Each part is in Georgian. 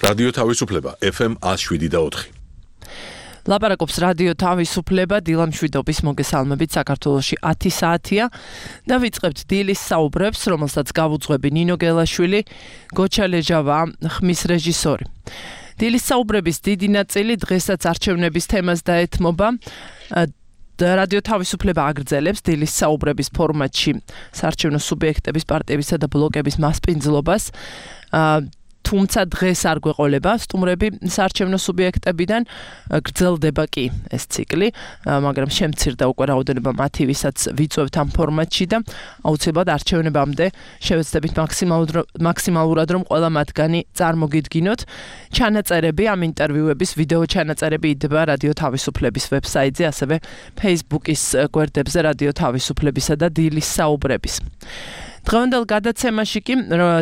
რადიო თავისუფლება FM 107.4. ლაპარაკობს რადიო თავისუფლება დილამ შვიდობის მოგესალმებით საქართველოში 10 საათია და ვიწყებთ დილის საუბრებს, რომელსაც გავუძღვები ნინო გელაშვილი, გოჩა ლეჟავა, ხმის რეჟისორი. დილის საუბრების დიდი ნაწილი დღესაც არჩევნების თემას დაეთმობა. რადიო თავისუფლება აგრძელებს დილის საუბრების ფორმატში საარჩევნო სუბიექტების, პარტიებისა და ბლოკების მასპინძლობას. თუმცა დღეს არ გვეყოლება სტუმრები საარჩევნო სუბიექტებიდან, გრძელდება კი ეს ციკლი, მაგრამ შემცირდა უკვე რაოდენობა მათი, ვისაც ვიწვევთ ამ ფორმატში და აუცილებლად არჩევნებამდე შევეცდებით მაქსიმალურად რომ ყველა მათგანი წარმოგიდგინოთ. ჩანაწერები ამ ინტერვიუების ვიდეო ჩანაწერები იდება რადიო თავისუფლების ვებსაიტზე, ასევე Facebook-ის გვერდებზე რადიო თავისუფლებისა და დილის საუბრების. დღევანდელ გადაცემაში კი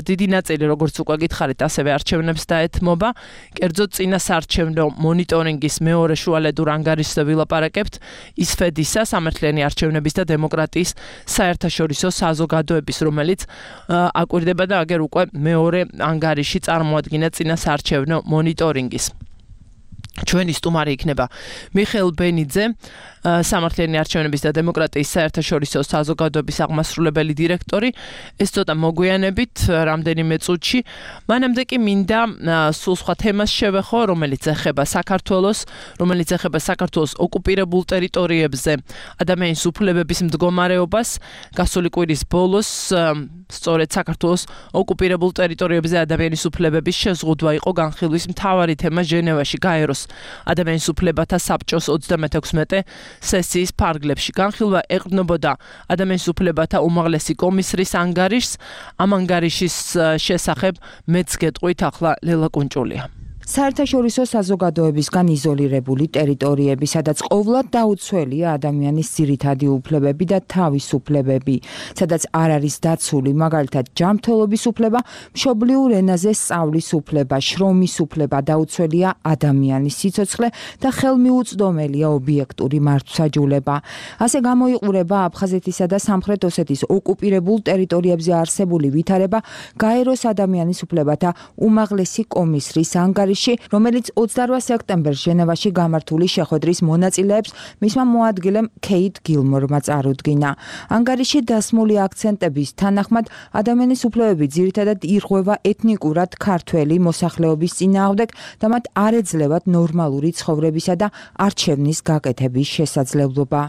დიდი ნაწილი, როგორც უკვე გითხარით, ასევე არჩევნებს დაეთმობა. კერძოდ წინა საარჩევნო მონიტორინგის მეორე შუალედურ ანგარიშზე ვილაპარაკებთ, ისფედისა, სამართლიანი არჩევნების და დემოკრატიის საერთაშორისო საზოგადოების, რომელიც აკვირდება და აგერ უკვე მეორე ანგარიში წარმოადგენდა წინა საარჩევნო მონიტორინგის. ჩვენი სტუმარი იქნება მიხეილ ბენიძე, სამართლიანი არჩევნების და დემოკრატიის საერთაშორისო საზოგადოების აღმასრულებელი დირექტორი. ეს ცოტა მოგვიანებით, რამდენიმე წუთში. მანამდე კი მინდა სულ სხვა თემას შევეხო, რომელიც ეხება საქართველოს ოკუპირებულ ტერიტორიებზე ადამიანის უფლებების მდგომარეობას. გასული კვირის ბოლოს სწორედ საქართველოს ოკუპირებულ ტერიტორიებზე ადამიანის უფლებების შეზღუდვა იყო განხილვის მთავარი თემა ჟენევაში გაეროს ადამიანის უფლებათა საბჭოს 36 სესიის ფარგლებში. განხილვა ეყრდნობოდა ადამიანის უფლებათა უმაღლესი კომისრის ანგარიშს. ამ ანგარიშის შესახებ მეც გეტყვით ახლა ლელა კუნჭულია. საერთაშორისო საზოგადოებისგან იზოლირებული ტერიტორიები, სადაც ყოვლად დაუცველია ადამიანის ძირითადი უფლებები და თავისუფლებები, სადაც არ არის დაცული მაგალითად ჯანმრთელობის უფლება, მშობლიურ ენაზე სწავლის უფლება, შრომის უფლება, დაუცველია ადამიანის სიცოცხლე და ხელმიუწვდომელია ობიექტური მართლმსაჯულება. ასე გამოიყურება აფხაზეთისა და სამხრეთ ოსეთის ოკუპირებულ ტერიტორიებზე არსებული ვითარება გაეროს ადამიანის უფლებათა უმაღლესი კომისრის ანგარიში, რომელიც 28 სექტემბერს ჟენევაში გამართული შეხვედრის მონაწილეებს მისმა მოადგილემ ქეით გილმორმა წარუდგინა. ანგარიში დასმული აქცენტების თანახმად ადამიანის უფლებები ძირითადად ირღვევა ეთნიკურად ქართველი მოსახლეობის წინააღმდეგ და მათ არ ეძლევათ ნორმალური ცხოვრებისა და არჩევნის გაკეთების შესაძლებლობა.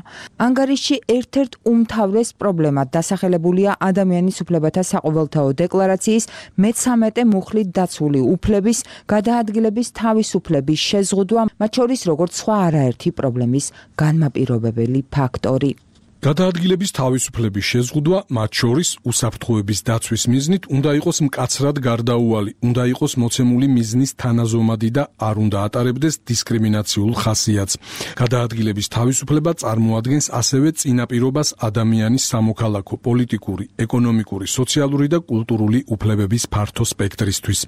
ანგარიში ერთ-ერთ უმთავრეს პრობლემად დასახელებულია ადამიანის უფლებათა საყოველთაო დეკლარაციის მე-13 მუხლით დაცული უფლების გადაადგილების თავისუფლების შეზღუდვა, მათ შორის როგორც სხვა არაერთი პრობლემის განმაპირობებელი ფაქტორი. გადაადგილების თავისუფლების შეზღუდვა, მათ შორის უსაფრთხოების დაცვის მიზნით უნდა იყოს მკაცრად გარდაუვალი, უნდა იყოს მოცემული მიზნის თანაზომადი და არ უნდა ატარებდეს დისკრიმინაციულ ხასიათს. გადაადგილების თავისუფლება წარმოადგენს ასევე წინაპირობას ადამიანის სამოქალაქო, პოლიტიკური, ეკონომიკური, სოციალური და კულტურული უფლებების ფართო სპექტრისთვის.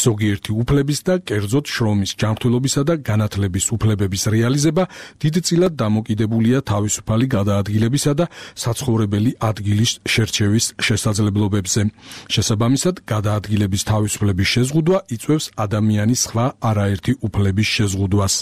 ზოგიერთი უფლების და კერძოდ შრომის, ჯანმრთელობისა და განათლების უფლებების რეალიზება დიდწილად დამოკიდებულია თავისუფალი გადაადგილების და საცხოვრებელი ადგილის შერჩევის შესაძლებლობებზე. შესაბამისად, გადაადგილების თავისუფლების შეზღუდვა იწვევს ადამიანის სხვა არაერთი უფლების შეზღუდვას.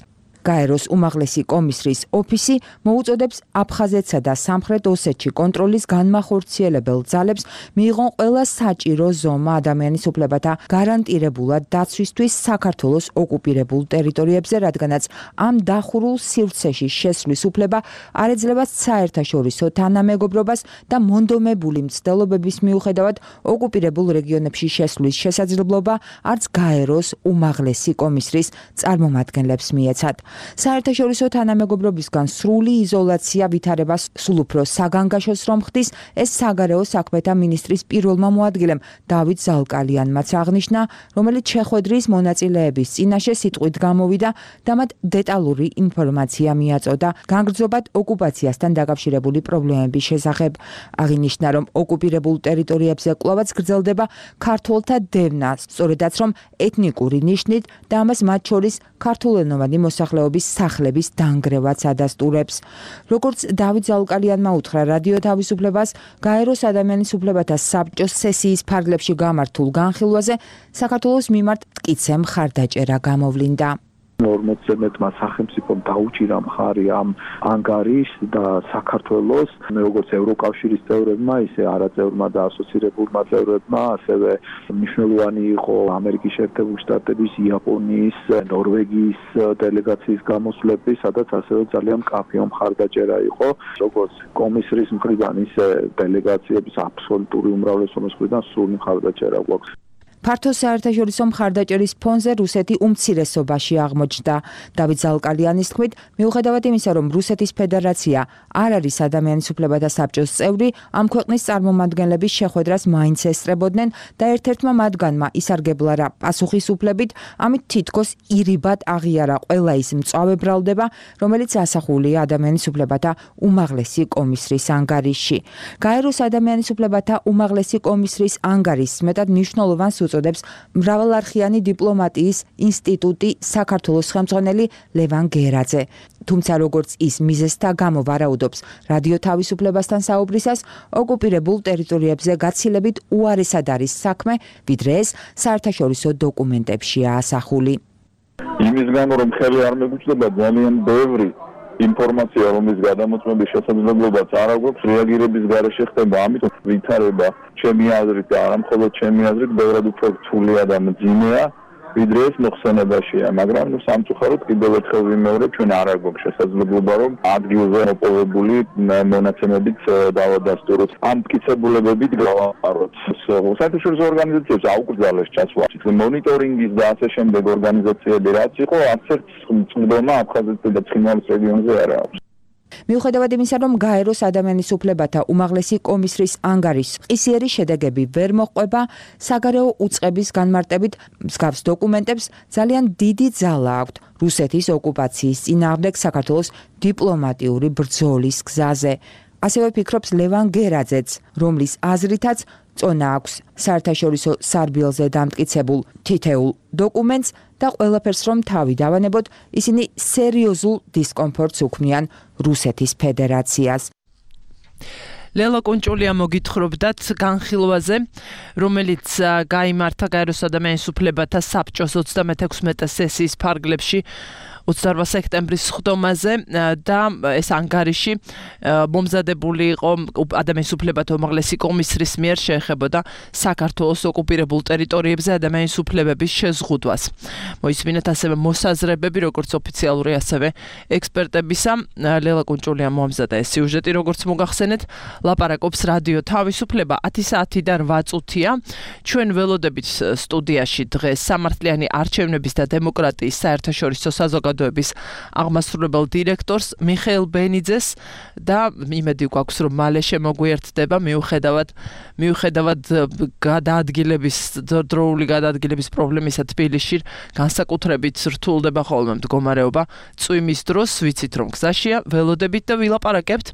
გაეროს უმაღლესი კომისრის ოფისი მოუწოდებს აფხაზეთსა და სამხრეთ ოსეთში კონტროლის განმახორციელებელ ძალებს მიიღონ ყველა საჭირო ზომა ადამიანის უფლებათა გარანტირებულად დაცვისთვის საქართველოს ოკუპირებულ ტერიტორიებზე, რადგანაც ამ დახურულ სივრცეში შესვლის უფლება არ ეძლევა საერთაშორისო თანამეგობრობას და მონდომებული მცდელობების მიუხედავად ოკუპირებულ რეგიონებში შესვლის შესაძლებლობა არც გაეროს უმაღლესი კომისრის წარმომადგენლებს მიეცათ. საერთაშორისო თანამეგობრობისგან სრული იზოლაცია ვითარებას სულ უფრო საგანგაშოს რომ ხდის, ეს საგარეო საქმეთა მინისტრის პირველმა მოადგილემ დავით ზალკალიანმაც აღნიშნა, რომელიც შეხვედრის მონაწილეების წინაშე სიტყვით გამოვიდა და მათ დეტალური ინფორმაცია მიაწოდა განგრძობად ოკუპაციასთან დაკავშირებული პრობლემების შესახებ. აღინიშნა, რომ ოკუპირებულ ტერიტორიებზე კვლავაც გრძელდება ქართველთა დევნა, სწორედაც რომ ეთნიკური ნიშნით და ამას მათ შორის ქართულენოვანი მოსახლეობა მოსახლეობის სახლების დანგრევაც ადასტურებს. როგორც დავით ზალუკალიანმა უთხრა რადიო თავისუფლებას, გაეროს ადამიანის უფლებათა საბჭოს სესიის ფარგლებში გამართულ განხილვაზე საქართველოს მიმართ მტკიცე მხარდაჭერა გამოვლინდა. 40-ზე მეტმა სახელმწიფომ დაუჭირა მხარი ამ ანგარიშს და საქართველოს როგორც ევროკავშირის წევრებმა, ისე არაწევრმა და ასოცირებულმა წევრებმა, ასევე მნიშვნელოვანი იყო ამერიკის შეერთებული შტატების, იაპონიის, ნორვეგიის დელეგაციის გამოსვლები, სადაც ასევე ძალიან მკაფიო მხარდაჭერა იყო, როგორც კომისრის მხრიდან, ისე დელეგაციების აბსოლუტური უმრავლესობის მხრიდან სრული მხარდაჭერა გვაქვს. ფართო საერთაშორისო მხარდაჭერის ფონზე რუსეთი უმცირესობაში აღმოჩნდა. დავით ზალუკალიანის თქმით, მიუხედავად იმისა, რომ რუსეთის ფედერაცია არ არის ადამიანის უფლებათა საბჭოს წევრი, ამ ქვეყნის წარმომადგენლების შეხვედრას მაინც ესწრებოდნენ და ერთ-ერთმა მათგანმა ისარგებლა რა პასუხისუფლებით, ამით თითქოს ირიბად აღიარა ყველა ის მწვავე ბრალდება, რომელიც ასახულია ადამიანის უფლებათა უმაღლესი კომისრის ანგარიშში. გაეროს ადამიანის უფლებათა უმაღლესი კომისრის ანგარიშს მეტად მნიშვნელოვანს უწოდებს მრავალარხიანი დიპლომატიის ინსტიტუტი საქართველოს ხელმძღვანელი ლევან გერაძე. თუმცა როგორც ის მიზეზთა გამო ვარაუდობს რადიო თავისუფლებასთან საუბრისას, ოკუპირებულ ტერიტორიებზე გაცილებით უარესად არის საქმე, ვიდრე ეს საერთაშორისო დოკუმენტებშია ასახული. იმის გამო რომ ხელი არ მეგუჩნდება ძალიან ბევრი ინფორმაცია, რომლის გადამოწმების შესაძლებლობაც არ აქვს, რეაგირების გარეშე ხდება, ამიტომ ვითარება ჩემი აზრით და არა მხოლოდ ჩემი აზრით, ბევრად უფრო რთულია და მძიმეა, ვიდრე ეს მოხსენებაშია, მაგრამ სამწუხაროდ კიდევ ერთხელ ვიმეორებ, ჩვენ არ გვაქვს შესაძლებლობა, რომ ადგილზე მოპოვებული მონაცემებით დავადასტუროთ. ამ მტკიცებულებებით გავაყაროთ. საერთაშორისო ორგანიზაციებს აუკრძალეს ჩასვლა. მონიტორინგის და ასე შემდეგ ორგანიზაციები რაც იყო, არცერთ წვდომა აფხაზეთსა და ცხინვალის რეგიონზე არ აქვს. მიუხედავად იმისა, რომ გაეროს ადამიანის უფლებათა უმაღლესი კომისრის ანგარიშს ყისიერი შედეგები ვერ მოჰყვება, საგარეო უწყების განმარტებით მსგავს დოკუმენტებს ძალიან დიდი ძალა აქვთ რუსეთის ოკუპაციის წინააღმდეგ საქართველოს დიპლომატიური ბრძოლის გზაზე. ასევე ფიქრობს ლევან გერაძეც, რომლის აზრითაც წონა აქვს საერთაშორისო სარბიელზე დამტკიცებულ თითეულ დოკუმენტს და ყველაფერს რომ თავი დავანებოთ, ისინი სერიოზულ დისკომფორტს უქმნიან რუსეთის ფედერაციას. ლელა კონჭოლია მოგითხრობდათ განხილვაზე, რომელიც გაიმართა გაეროს ადამიანის უფლებათა საბჭოს 36 სესიის ფარგლებში 28 სექტემბრის ხდომაზე და ეს ანგარიში მომზადებული იყო ადამიანის უფლებათა უმაღლესი კომისრის მიერ, შეეხებოდა საქართველოს ოკუპირებულ ტერიტორიებზე ადამიანის უფლებების შეზღუდვას. მოისმინეთ ასევე მოსაზრებები, როგორც ოფიციალური, ასევე ექსპერტებისა. ლელა კონჭოლიამ მოამზადა ეს სიუჟეტი, როგორც მოგახსენეთ, ლაპარაკობს რადიო თავისუფლება 10 საათიდან 8 წუთია. ჩვენ ველოდებით სტუდიაში დღეს სამართლიანი არჩევნების და დემოკრატიის საერთაშორისო საზოგადოების აღმასრულებელ დირექტორს მიხეილ ბენიძეს და იმედი გვაქვს, რომ მალე შემოგვიერთდება მიუხედავად დროული გადაადგილების პრობლემისა თბილისში, განსაკუთრებით რთულდება ხოლმე მდგომარეობა წვიმის დროს, ვიცით რომ გზაშია, ველოდებით და ვილაპარაკებთ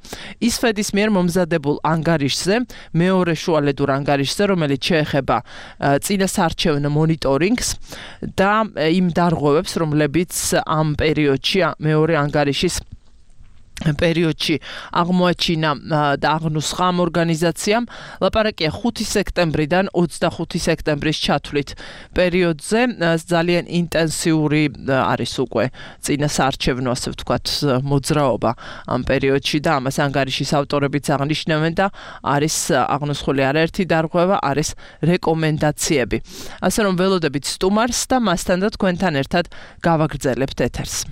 ისფედის მიერ მომზადებულ ანგარიშზე, მეორე შუალედურ ანგარიშზე, რომელიც შეეხება წინასაარჩევნო მონიტორინგს და იმ დარღვევებს, რომლებიც ამ პერიოდში მეორე ანგარიშის პერიოდში აღმოაჩინა და აღნუსხა ამ ორგანიზაციამ. ლაპარაკია 5 სექტემბრიდან 25 სექტემბრის ჩათვლით პერიოდზე. ძალიან ინტენსიური არის უკვე წინასაარჩევნო, ასე ვთქვათ, მოძრაობა ამ პერიოდში და ამას ანგარიშის ავტორებიც აღნიშნავენ და არის აღნუსხული არაერთი დარღვევა, არის რეკომენდაციები. ასე რომ ველოდებით სტუმარს და მასთან და თქვენთან ერთად გავაგრძელებთ ეთერს.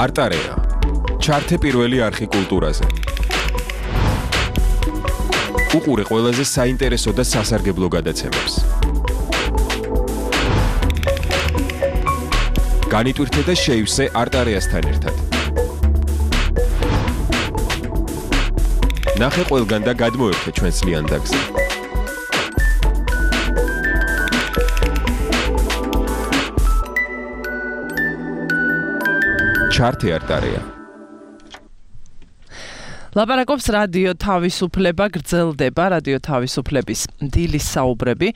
არტარეა. ჩართე პირველი არხი კულტურაზე. უყურე ყველაზე საინტერესო და სასარგებლო გადაცემებს. განიტვირთე და შეივსე არტარეასთან ერთად. ნახე ყველგან და გადმოერთე ჩვენს ლიანდაგზე. ჩართე არტარეა. ლაპარაკობს რადიო თავისუფლება, გრძელდება რადიო თავისუფლების დილის საუბრები.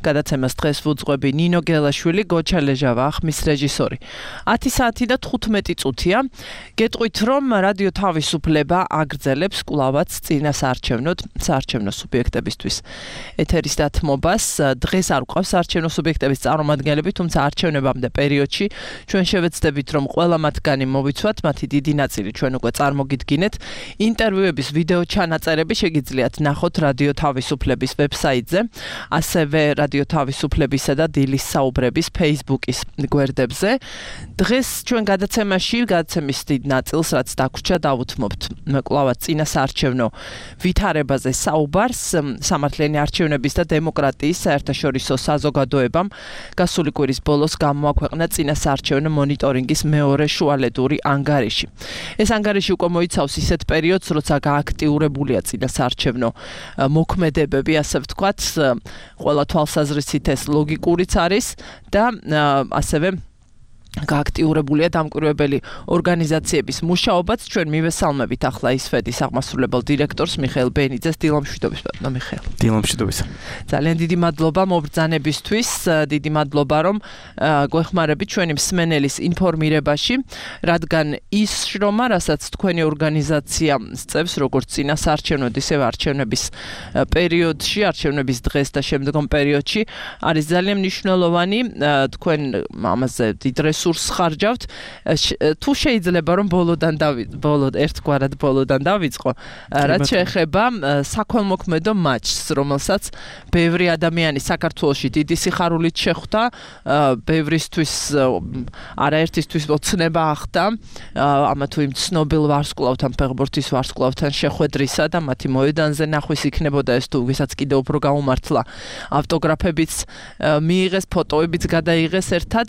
გადაცემას დღეს ვუძღვები ნინო გელაშვილი, გოჩა ლეჟავა, ხმის რეჟისორი. 10 საათი და 15 წუთია. გეტყვით, რომ რადიო თავისუფლება აგრძელებს კვლავაც წინასაარჩევნოდ საარჩევნო სუბიექტებისთვის ეთერის დათმობას. დღეს არ გვყავს საარჩევნო სუბიექტების წარმომადგენლები, თუმცა არჩევნებამდე პერიოდში ჩვენ შევეცდებით, რომ ყველა მათგანი მოვიცვათ, მათი დიდი ნაწილი ჩვენ უკვე წარმოგიდგინეთ. ინტერვიუების ვიდეო ჩანაწერები შეგიძლიათ ნახოთ რადიო თავისუფლების ვებსაიტზე, ასევე რადიო თავისუფლებისა და დილის საუბრების Facebook-ის გვერდებზე. დღეს ჩვენ გადაცემის დიდ ნაწილს, რაც დაგვრჩა, დავუთმობთ კვლავაც წინასაარჩევნო ვითარებაზე საუბარს. სამართლიანი არჩევნების და დემოკრატიის საერთაშორისო საზოგადოებამ გასული კვირის ბოლოს გამოაქვეყნა წინასაარჩევნო მონიტორინგის მეორე შუალედური ანგარიში. ეს ანგარიში უკვე მოიცავს ისეთ პერიოდს, როცა გააქტიურებულია წინასაარჩევნო მოქმედებები, ასე ვთქვათ, ყველა თვალსაზრისით ეს ლოგიკურიც არის და ასევე გააქტიურებულია დამკვირვებელი ორგანიზაციების მუშაობაც. ჩვენ მივესალმებით ახლა ისფედის აღმასრულებელ დირექტორს მიხეილ ბენიძეს. დილამშვიდობის ბატონო მიხეილ. დილამშვიდობის. ძალიან დიდი მადლობა მობრძანებისთვის. დიდი მადლობა რომ გვეხმარებით ჩვენი მსმენელის ინფორმირებაში, რადგან ის შრომა, რასაც თქვენი ორგანიზაცია სწევს, როგორც წინასაარჩევნო, ისე არჩევნების პერიოდში, არჩევნების დღეს და შემდგომ პერიოდში, არის ძალიან მნიშვნელოვანი. თქვენ ამაზე დიდ რესურსს ხარჯავთ. თუ შეიძლება რომ ბოლოდან დავიწყო, რაც შეეხება საქველმოქმედო მატჩს, რომელსაც ბევრი ადამიანი საქართველოში დიდი სიხარულით შეხვდა, ბევრისთვის არაერთისთვის ოცნება ახდა, ამა თუ იმ ცნობილ ვარსკვლავთან, ფეხბურთის ვარსკვლავთან შეხვედრისა და მათი მოედანზე ნახვის იქნებოდა ეს თუ ვისაც კიდევ უფრო გაუმართლა ავტოგრაფებიც მიიღეს, ფოტოებიც გადაიღეს ერთად.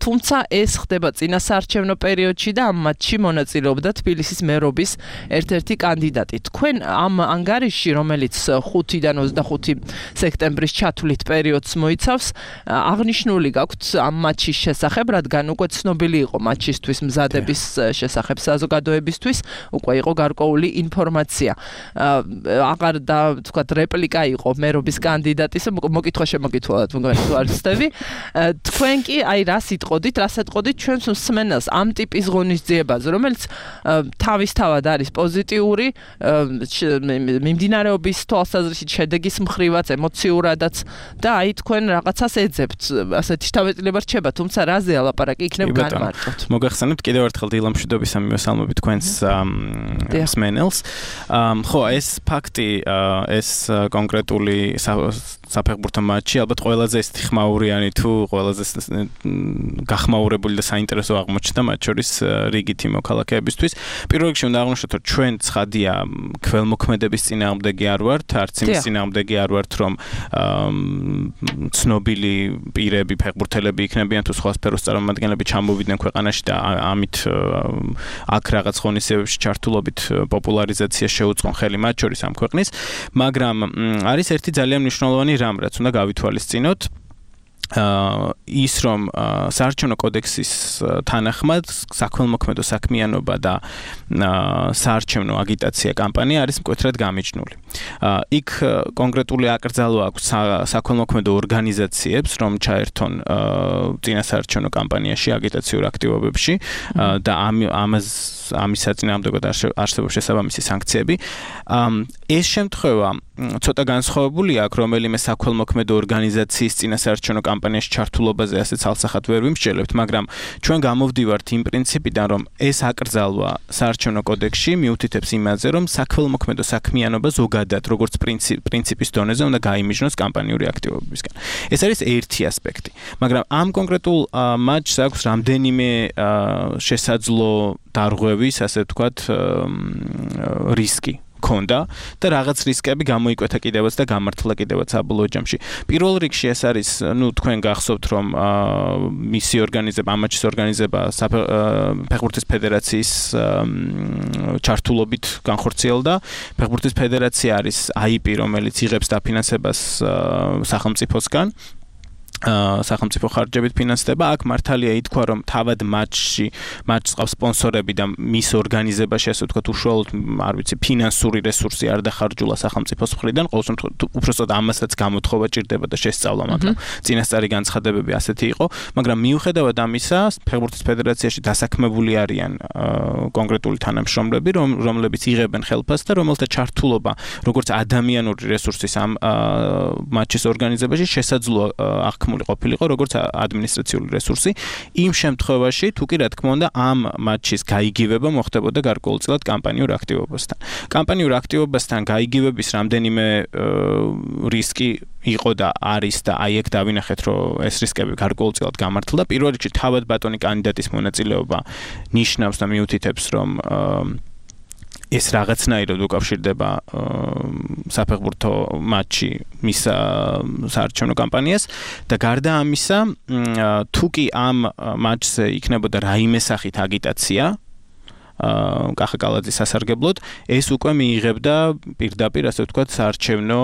თუმცა ეს ხდება წინასაარჩევნო პერიოდში და ამ მატჩში მონაწილეობდა თბილისის მერობის ერთ-ერთი კანდიდატი. თქვენ ამ ანგარიშში, რომელიც 5-დან 25 სექტემბრის ჩათვლით პერიოდს მოიცავს, აღნიშნული გაქვთ ამ მატჩის შესახებ, რადგან უკვე ცნობილი იყო მატჩისთვის მზადების შესახებ საზოგადოებისთვის, უკვე იყო გარკვეული ინფორმაცია. აღარ და თქვა რეპლიკა იყო მერობის კანდიდატის, მოკითხვა-შემოკითხვა მგონი თუ არ ვცდები. თქვენ კი აი რას იტყოდით, რას ეტყოდით ჩვენს მსმენელს ამ ტიპის ღონისძიებაზე, რომელიც თავისთავად არის პოზიტიური, მიმდინარეობის თვალსაზრისით შედეგის მხრივაც, ემოციურადაც და აი თქვენ რაღაცას ეძებთ, ასეთი შთაბეჭდილება რჩება, თუმცა რაზე ალაპარაკი იქნებ განმარტოთ. მოგახსენებთ კიდევ ერთხელ დილამშვიდობის მივესალმებით თქვენს მსმენელს. ხო, ეს ფაქტი, ეს კონკრეტული საფეხბურთო მატჩი ალბათ ყველაზე ხმაურიანი თუ ყველაზე გახმაურებული და საინტერესო აღმოჩნდა მათ შორის რიგითი მოქალაქეებისთვის. პირველ რიგში უნდა აღვნიშნოთ, რომ ჩვენ ცხადია ქველმოქმედების წინააღმდეგი არ ვართ, არც იმის წინააღმდეგი არ ვართ, რომ ცნობილი პირები, ფეხბურთელები იქნებიან თუ სხვა სფეროს წარმომადგენლები ჩამოვიდნენ ქვეყანაში და ამით აქ რაღაც ღონისძიებებში ჩართულობით პოპულარიზაცია შეუწყონ ხელი მათ შორის ამ ქვეყნის, მაგრამ არის ერთი ძალიან მნიშვნელოვანი რამ, რაც უნდა გავითვალისწინოთ. ის რომ საარჩევნო კოდექსის თანახმად საქველმოქმედო საქმიანობა და საარჩევნო აგიტაცია კამპანია არის მკვეთრად გამიჯნული. იქ კონკრეტული აკრძალვა აქვს საქველმოქმედო ორგანიზაციებს, რომ ჩაერთონ წინასაარჩევნო კამპანიაში აგიტაციურ აქტივობებში და ამის საწინააღმდეგოდ არსებობს შესაბამისი სანქციები. ეს შემთხვევა ცოტა განსხვავებული აქვს, რომელიმე საქველმოქმედო ორგანიზაციის წინასაარჩევნო კამპანიაში ჩართულობაზე ასე ცალსახად ვერ ვიმსჯელებთ, მაგრამ ჩვენ გამოვდივართ იმ პრინციპიდან, რომ ეს აკრძალვა საარჩევნო კოდექსში მიუთითებს იმაზე, რომ საქველმოქმედო საქმიანობა ზოგადად, როგორც პრინციპის დონეზე უნდა გაიმიჯნოს კამპანიური აქტივობებისგან. ეს არის ერთი ასპექტი. მაგრამ ამ კონკრეტულ მატჩს აქვს რამდენიმე შესაძლო დარღვევის, ასე ვთქვათ, რისკი ქონდა და რაღაც რისკები გამოიკვეთა კიდევაც და გამართლა კიდევაც საბოლოო ჯამში. პირველ რიგში ეს არის, თქვენ გახსოვთ, რომ მისი ორგანიზება, ამ მატჩის ორგანიზება ფეხბურთის ფედერაციის ჩართულობით განხორციელდა. ფეხბურთის ფედერაცია არის AIP, რომელიც იღებს დაფინანსებას სახელმწიფოსგან. სახელმწიფო ხარჯებით ფინანსდება. აქ მართალია ითქვა, რომ თავად მატჩს ყავს სპონსორები და მის ორგანიზებაში, ასე ვთქვათ, უშუალოდ, არ ვიცი, ფინანსური რესურსი არ დახარჯულა სახელმწიფოს მხრიდან. ყოველ შემთხვევაში, უпростоოდ ამასაც გამოთხოვა ჭირდება და შესწავლა, მაგრამ წინასწარი განცხადებები ასეთი იყო. მაგრამ მიუხედავად ამისა, ფეხბურთის ფედერაციაში დასაქმებული არიან კონკრეტული თანამშრომლები, რომლებიც იღებენ ხელფასს და რომელთა ჩართულობა, როგორც ადამიანური რესურსის ამ მატჩის ორგანიზებაში შესაძლოა ყოფილიყო როგორც ადმინისტრაციული რესურსი. იმ შემთხვევაში, თუ კი რა თქმა უნდა, ამ მატჩის გაიგივება მოხდებოდა გარკვეულწილად კამპანიურ აქტივობასთან. კამპანიურ აქტივობასთან გაიგივების რამდენიმე რისკი იყო და არის და აი ეგ დავინახეთ, რომ ეს რისკები გარკვეულწილად გამართლდა. პირველ რიგში თავად ბატონი კანდიდატის მონაწილეობა ნიშნავს და მიუთითებს, რომ ეს რაღაცნაირად უკავშირდება საფეხბურთო მატჩი მის საარჩევნო კამპანიას და გარდა ამისა, თუ კი ამ მატჩზე იქნებოდა რაიმე სახით აგიტაცია კახა კალაძის სასარგებლოდ, ეს უკვე მიიღებდა პირდაპირ, ასე ვთქვათ, საარჩევნო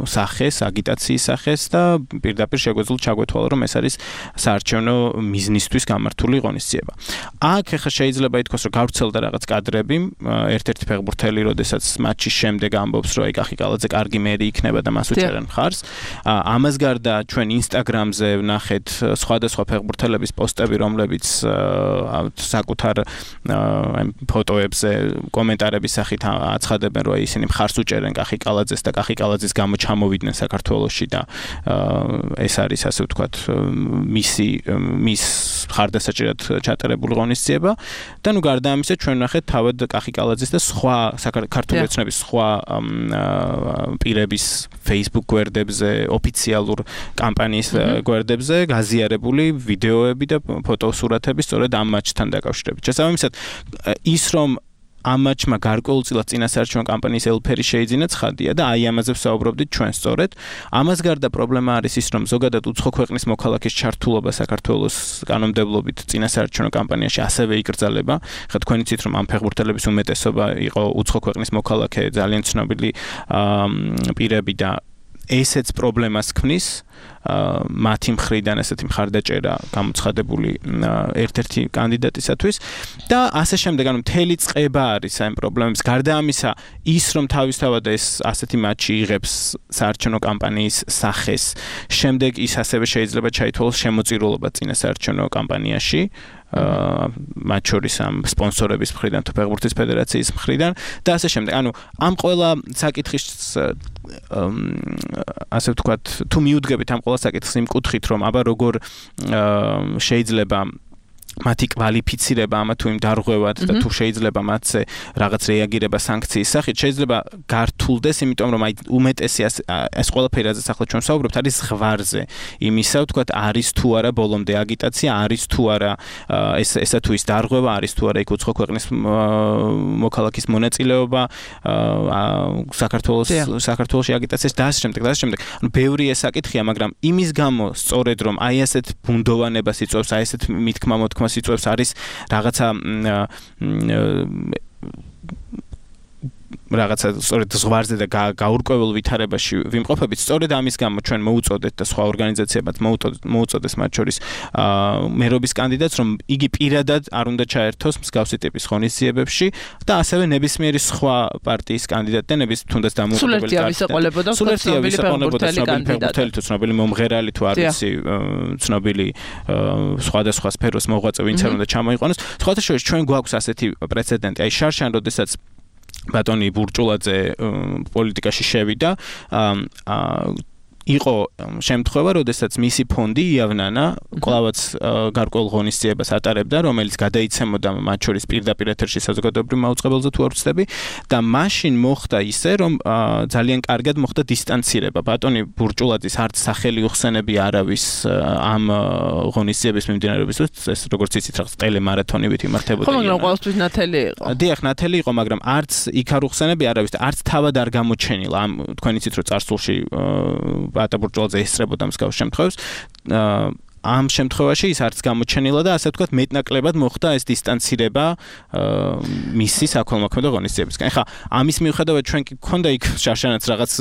სახეს, აგიტაციის სახეს და პირდაპირ შეგვეძლო ჩაგვეთვალა, რომ ეს არის საარჩევნო მიზნისთვის გამართული ღონისძიება. აქ ახლა შეიძლება ითქვას, რომ გავრცელდა რაღაც კადრები, ერთ-ერთი ფეხბურთელი, როდესაც მატჩის შემდეგ ამბობს, რომ აი კახი კალაძე კარგი მერი იქნება და მას უჭერენ მხარს. ამას გარდა ჩვენ Instagram-ზე ვნახეთ სხვადასხვა ფეხბურთელების პოსტები, რომლებიც საკუთარ ფოტოებზე კომენტარების სახით აცხადებენ, რომ ისინი მხარს უჭერენ კახი კალაძეს და კახი კალაძის გამო ჩამოვიდნენ საქართველოში და ეს არის, ასე ვთქვათ, მის მხარდასაჭერად ჩატარებული ღონისძიება და გარდა ამისა ჩვენ ვნახეთ თავად კახი კალაძის და სხვა ქართული ოცნების სხვა პირების Facebook გვერდებზე, ოფიციალურ კამპანიის გვერდებზე გაზიარებული ვიდეოები და ფოტოსურათები სწორედ ამ მატჩთან დაკავშირებით. შესაბამისად, ის რომ ამ მატჩმა გარკვეულწილად წინასაარჩევნო კამპანიის ელფერი შეიძინა ცხადია და აი ამაზე ვსაუბრობდით ჩვენ სწორედ. ამას გარდა პრობლემა არის ის, რომ ზოგადად უცხო ქვეყნის მოქალაქის ჩართულობა საქართველოს კანონმდებლობით წინასაარჩევნო კამპანიაში ასევე იკრძალება. ხა თქვენ იცით, რომ ამ ფეხბურთელების უმეტესობა იყო უცხო ქვეყნის მოქალაქე, ძალიან ცნობილი პირები და ესეც პრობლემას ქმნის. მათი მხრიდან ესეთი მხარდაჭერა გამოცხადებული ერთ-ერთი კანდიდატისათვის და ასე შემდეგ, ანუ მთელი წყება არის ამ პრობლემებს. გარდა ამისა, ის რომ თავისთავად ეს ასეთი მატჩი იღებს საარჩევნო კამპანიის სახეს, შემდეგ ის ასევე შეიძლება ჩაითვალოს შემოწირულობა წინასაარჩევნო კამპანიაში, მათ შორის ამ სპონსორების მხრიდან, თუ ფეხბურთის ფედერაციის მხრიდან და ასე შემდეგ. ანუ ამ ყველა საკითხის ასე ვთქვათ, თუ მიუდგებით ამ ყველა საკითხს იმ კუთხით, რომ აბა როგორ შეიძლება მათი კვალიფიცირება ამა თუ იმ დარღვევად და თუ შეიძლება მათზე რაღაც რეაგირება სანქციის სახით, შეიძლება გართულდეს, იმიტომ რომ აი უმეტესი ეს ყველაფერი, რაზეც ახლა ჩვენ ვსაუბრობთ, არის ზღვარზე იმისა, ვთქვათ, არის თუ არა ბოლომდე აგიტაცია, არის თუ არა ესა თუ ის დარღვევა, არის თუ არა იქ უცხო ქვეყნის მოქალაქის მონაწილეობა საქართველოში აგიტაციის და ასე შემდეგ. ანუ ბევრი ეს საკითხია, მაგრამ იმის გამო სწორედ რომ აი ასეთ ბუნდოვანებას იწვევს, აი ასეთ მითქმა-მოთქმა იწვევს, არის რაღაცა სწორედ ზღვარზე და გაურკვეველ ვითარებაში ვიმყოფებით. სწორედ ამის გამო ჩვენ მოუწოდეთ და სხვა ორგანიზაციებად მოუწოდეს მათ შორის მერობის კანდიდატს, რომ იგი პირადად არ უნდა ჩაერთოს მსგავსი ტიპის ღონისძიებებში და ასევე ნებისმიერი სხვა პარტიის კანდიდატი და თუნდაც დამოუკიდებელი ფეხბურთელი თუ ცნობილი მომღერალი თუ არ ვიცი ცნობილი სხვადასხვა სფეროს მოღვაწე, ვინც არ უნდა ჩამოიყვანოს. სხვათა შორის ჩვენ გვაქვს ასეთი პრეცედენტი. აი შარშან, როდესაც ბატონი ბურჭულაძე პოლიტიკაში შევიდა იყო შემთხვევა, როდესაც მისი ფონდი იავნანა კვლავაც გარკვეულ ღონისძიებას ატარებდა, რომელიც გადაიცემოდა მათ შორის პირდაპირ ეთერში საზოგადოებრივ მაუწყებელზე თუ არ ვცდები და მაშინ მოხდა ისე, რომ ძალიან კარგად მოხდა დისტანცირება. ბატონი ბურჭულაძის არც სახელი უხსენები არავის ამ ღონისძიების მიმდინარეობისთვის, ეს როგორც იცით რაღაც ტელემარათონივით იმართებოდა. ხო, მაგრამ ყოველთვის ნათელი იყო. დიახ, ნათელი იყო, მაგრამ არც იქ არ უხსენები არავის და არც თავად არ გამოჩენილა. ამ თქვენ იცით, რომ წარსულში ბატა ბურჭულაძე ესწრებოდა მსგავს შემთხვევებს. ამ შემთხვევაში ის არც გამოჩენილა და ასე ვთქვათ მეტნაკლებად მოხდა ეს დისტანცირება მისი საქველმოქმედო ღონისძიებისგან. ეხლა ამის მიუხედავად ჩვენ კი გქონდა იქ შაშანაც რაღაც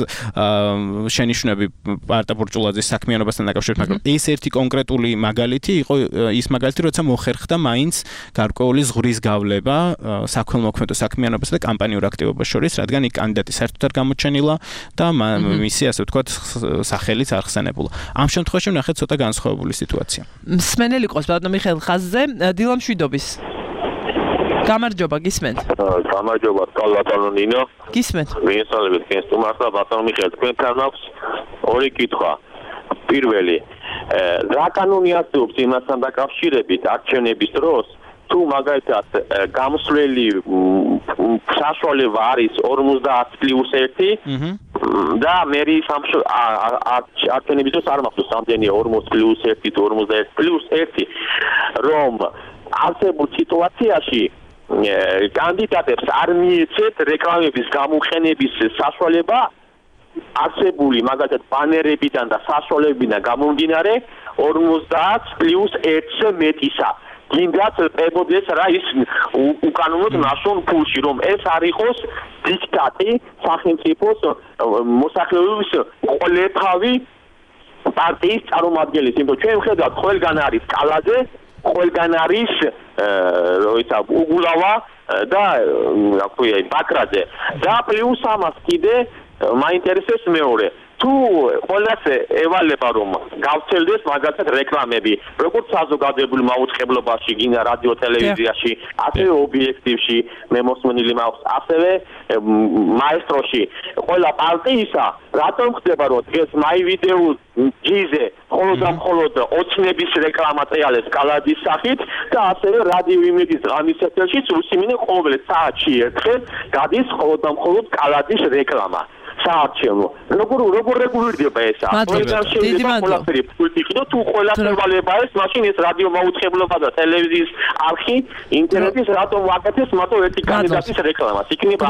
შენიშვნები ბატა ბურჭულაძის საქმიანობასთან დაკავშირებით, მაგრამ ეს ერთი კონკრეტული მაგალითი იყო ის მაგალითი, როცა მოხერხდა მაინც გარკვეული ზღვრის გავლება საქველმოქმედო საქმიანობასა და კამპანიურ აქტივობას შორის, რადგან იქ კანდიდატი საერთოდ არ გამოჩენილა და მისი ასე ვთქვათ სახელიც არ ხსენებულა. ამ შემთხვევაში ვნახეთ ცოტა განსხვავებული სიტუაცია. მსმენელი ყავს ბატონო მიხეილ ხაზზე დილა მშვიდობის. გამარჯობა, გისმენთ? გამარჯობა, ბატონო ნინო. გისმენთ? მიესალმებით თქვენს თუმარსა ბატონო მიხეილ, თქვენთან აქვს ორი კითხვა. პირველი, რა კანონი არსებობს იმასთან დაკავშირებით არჩევნების დროს, თუ მაგალითად გამსვლელი საშუალება არის 50+1 და მერი არჩევნების დროს არ მახსოვს რამდენი 40+1 თუ 51+1 რომ არსებულ სიტუაციაში კანდიდატებს არ მიეცეთ რეკლამების გამოყენების საშუალება არსებული მაგალითად ბანერებიდან და საშუალებებიდან გამომდინარე 50+1-ზე მეტისა. გინდათ წებოდეს რა ის უკანონოდ ნაშრომ ფულში რომ ეს არ იყოს დიქტატი სახელმწიფოს მოსახლეობის ყოლეთავი პარტიის წარმომადგენლის, იმიტომ ჩვენ ვხედავთ ყველგან არის კალაძე, ყველგან არის როიცა უგულავა და რა ქვია ბაკრაძე და პლუს ამას კიდე მაინტერესებს მეორე თუ ყველასე ევალება რომ გავცელდეს მაგალითად რეკლამები როგორც საზოგადოებრივ მაუწყებლობაში გინდა რადიო ტელევიზიაში ასევე ობიექტივში მე მოსმენილი მაქვს ასევე მაესტროში ყველა პარტიისა რატომ ხდება რომ დღეს მაივიდეო ჯიზე მხოლოდ ოცნების რეკლამა წეალეს კალადის სახით და ასევე რადიო იმედის ღამის ეთერშიც უსიმინე ყოველ საათში ერთხელ გადის მხოლოდ კალადის რეკლამა საარჩევნო. როგორ რეგულირდება ეს? ყველგან შეიძლება ყველაფერი ფულტი ყიდო თუ ყველაფერი ვალება ეს მაშინ ეს რადიო მაუწყებლობა და ტელევიზიის არხი ინტერნეტის რატომ ვაკეთებს მათო ერთი კანდიდატის რეკლამას. იქნება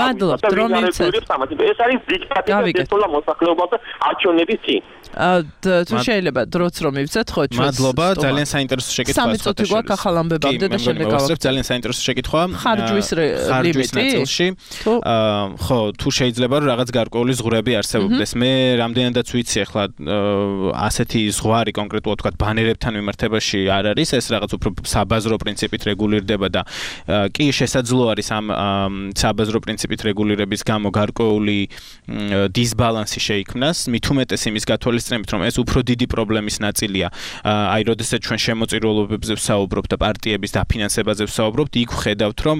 ეს არის დიქტატი და დესტოლა მოსახლეობას და არჩევნების წინ. თუ შეიძლება დროც რომ მივცეთ ხო ჩვენ მადლობა ძალიან საინტერესო შეკითხვა 3 წუთი გვაქვს ახალ ამბებამდე და შემდეგ გავახსენებ ძალიან საინტერესო შეკითხვა ხარჯვის ნაწილში ხო თუ შეიძლება რომ რაღაც გარკვეული ზღვრები არსებობდეს მე რამდენადაც ვიცი ახლა ასეთი ზღვარი კონკრეტულად თქვა ბანერებთან მიმართებაში არ არის ეს რაღაც უფრო საბაზრო პრინციპით რეგულირდება და კი შესაძლოა არის ამ საბაზრო პრინციპით რეგულირების გამო გარკვეული დისბალანსი შეიქმნას მით უმეტეს იმის გათვალისწინებით რომ ეს უფრო დიდი პრობლემის ნაწილია აი როდესაც ჩვენ შემოწირულობებზე ვსაუბრობთ და პარტიების დაფინანსებაზე ვსაუბრობთ იქ ვხედავთ რომ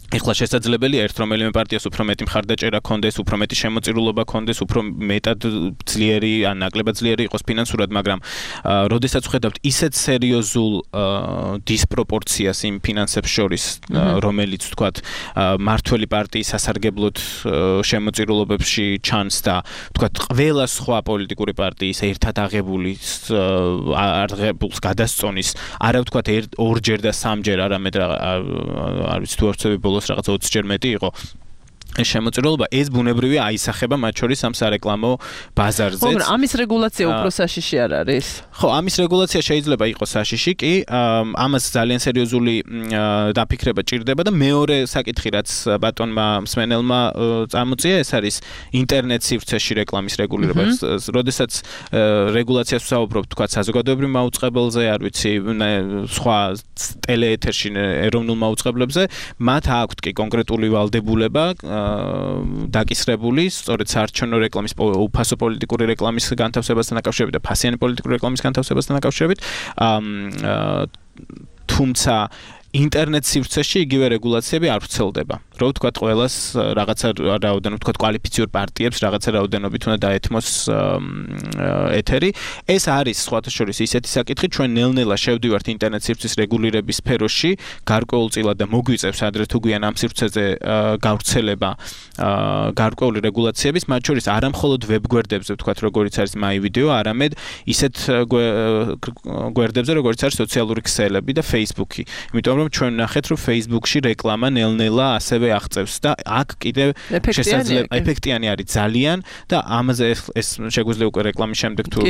ეხლა შესაძლებელია ერთ რომელიმე პარტიას უფრო მეტი მხარდაჭერა ქონდეს, უფრო მეტი შემოწირულობა ქონდეს, უფრო მეტად ძლიერი ან ნაკლებად ძლიერი იყოს ფინანსურად, მაგრამ როდესაც ვხედავთ ისეთ სერიოზულ დისპროპორციას იმ ფინანსებს შორის, რომელიც თქვათ მართველი პარტიის სასარგებლოდ შემოწირულობებში ჩანს და თქვათ ყველა სხვა პოლიტიკური პარტიის ერთად აღებულს გადასწონის, არა ვთქვათ ორჯერ და სამჯერ, არამედ არ ვიცი თუ არ ვცდები ბოლოს რაღაც 20-ჯერ მეტი იყო შემოწირულობა ეს ბუნებრივია აისახება მათ შორის ამ სარეკლამო ბაზარზეც. მაგრამ ამის რეგულაცია უფრო საშიში არ არის? ხო, ამის რეგულაცია შეიძლება იყოს საშიში, კი, ამას ძალიან სერიოზული დაფიქრება ჭირდება და მეორე საკითხი რაც ბატონმა მსმენელმა წამოწია, ეს არის ინტერნეტ სივრცეში რეკლამის რეგულირება. როდესაც რეგულაციას ვსაუბრობთ, თქვა საზოგადოებრივ მაუწყებელზე, არ ვიცი, სხვა ტელეეთერში ეროვნულ მაუწყებლებზე, მათ აქვთ კი კონკრეტული ვალდებულება დაკისრებული, სწორედ საარჩევნო რეკლამის უფასო პოლიტიკური რეკლამის განთავსებასთან დაკავშირებით და ფასიანი პოლიტიკური რეკლამის განთავსებასთან დაკავშირებით. თუმცა ინტერნეტ სივრცეში იგივე რეგულაციები არ ვრცელდება. რო ვთქვათ ყველას რაღაცა რაოდენობით ვთქვათ კვალიფიციურ პარტიებს რაღაცა რაოდენობით უნდა დაეთმოს ეთერი. ეს არის სხვათა შორის ისეთი საკითხი, ჩვენ ნელ-ნელა შევდივართ ინტერნეტ სივრცის რეგულირების სფეროში, გარკვეულწილად და მოგვიწევს ადრე თუ გვიან ამ სივრცეზე გავრცელება გარკვეული რეგულაციების, მათ შორის არა მხოლოდ ვებგვერდებზე ვთქვათ, როგორიც არის MyVideo, არამედ ისეთ გვერდებზე, როგორიც არის სოციალური ქსელები და Facebook-ი. იმიტომ რომ ჩვენ ვნახეთ, რომ Facebook-ში რეკლამა ნელ-ნელა ასევე აღწევს და აქ კიდევ შესაძლოა ეფექტიანი არის ძალიან და ამაზე ეს შეგვიძლია უკვე რეკლამის შემდეგ თუ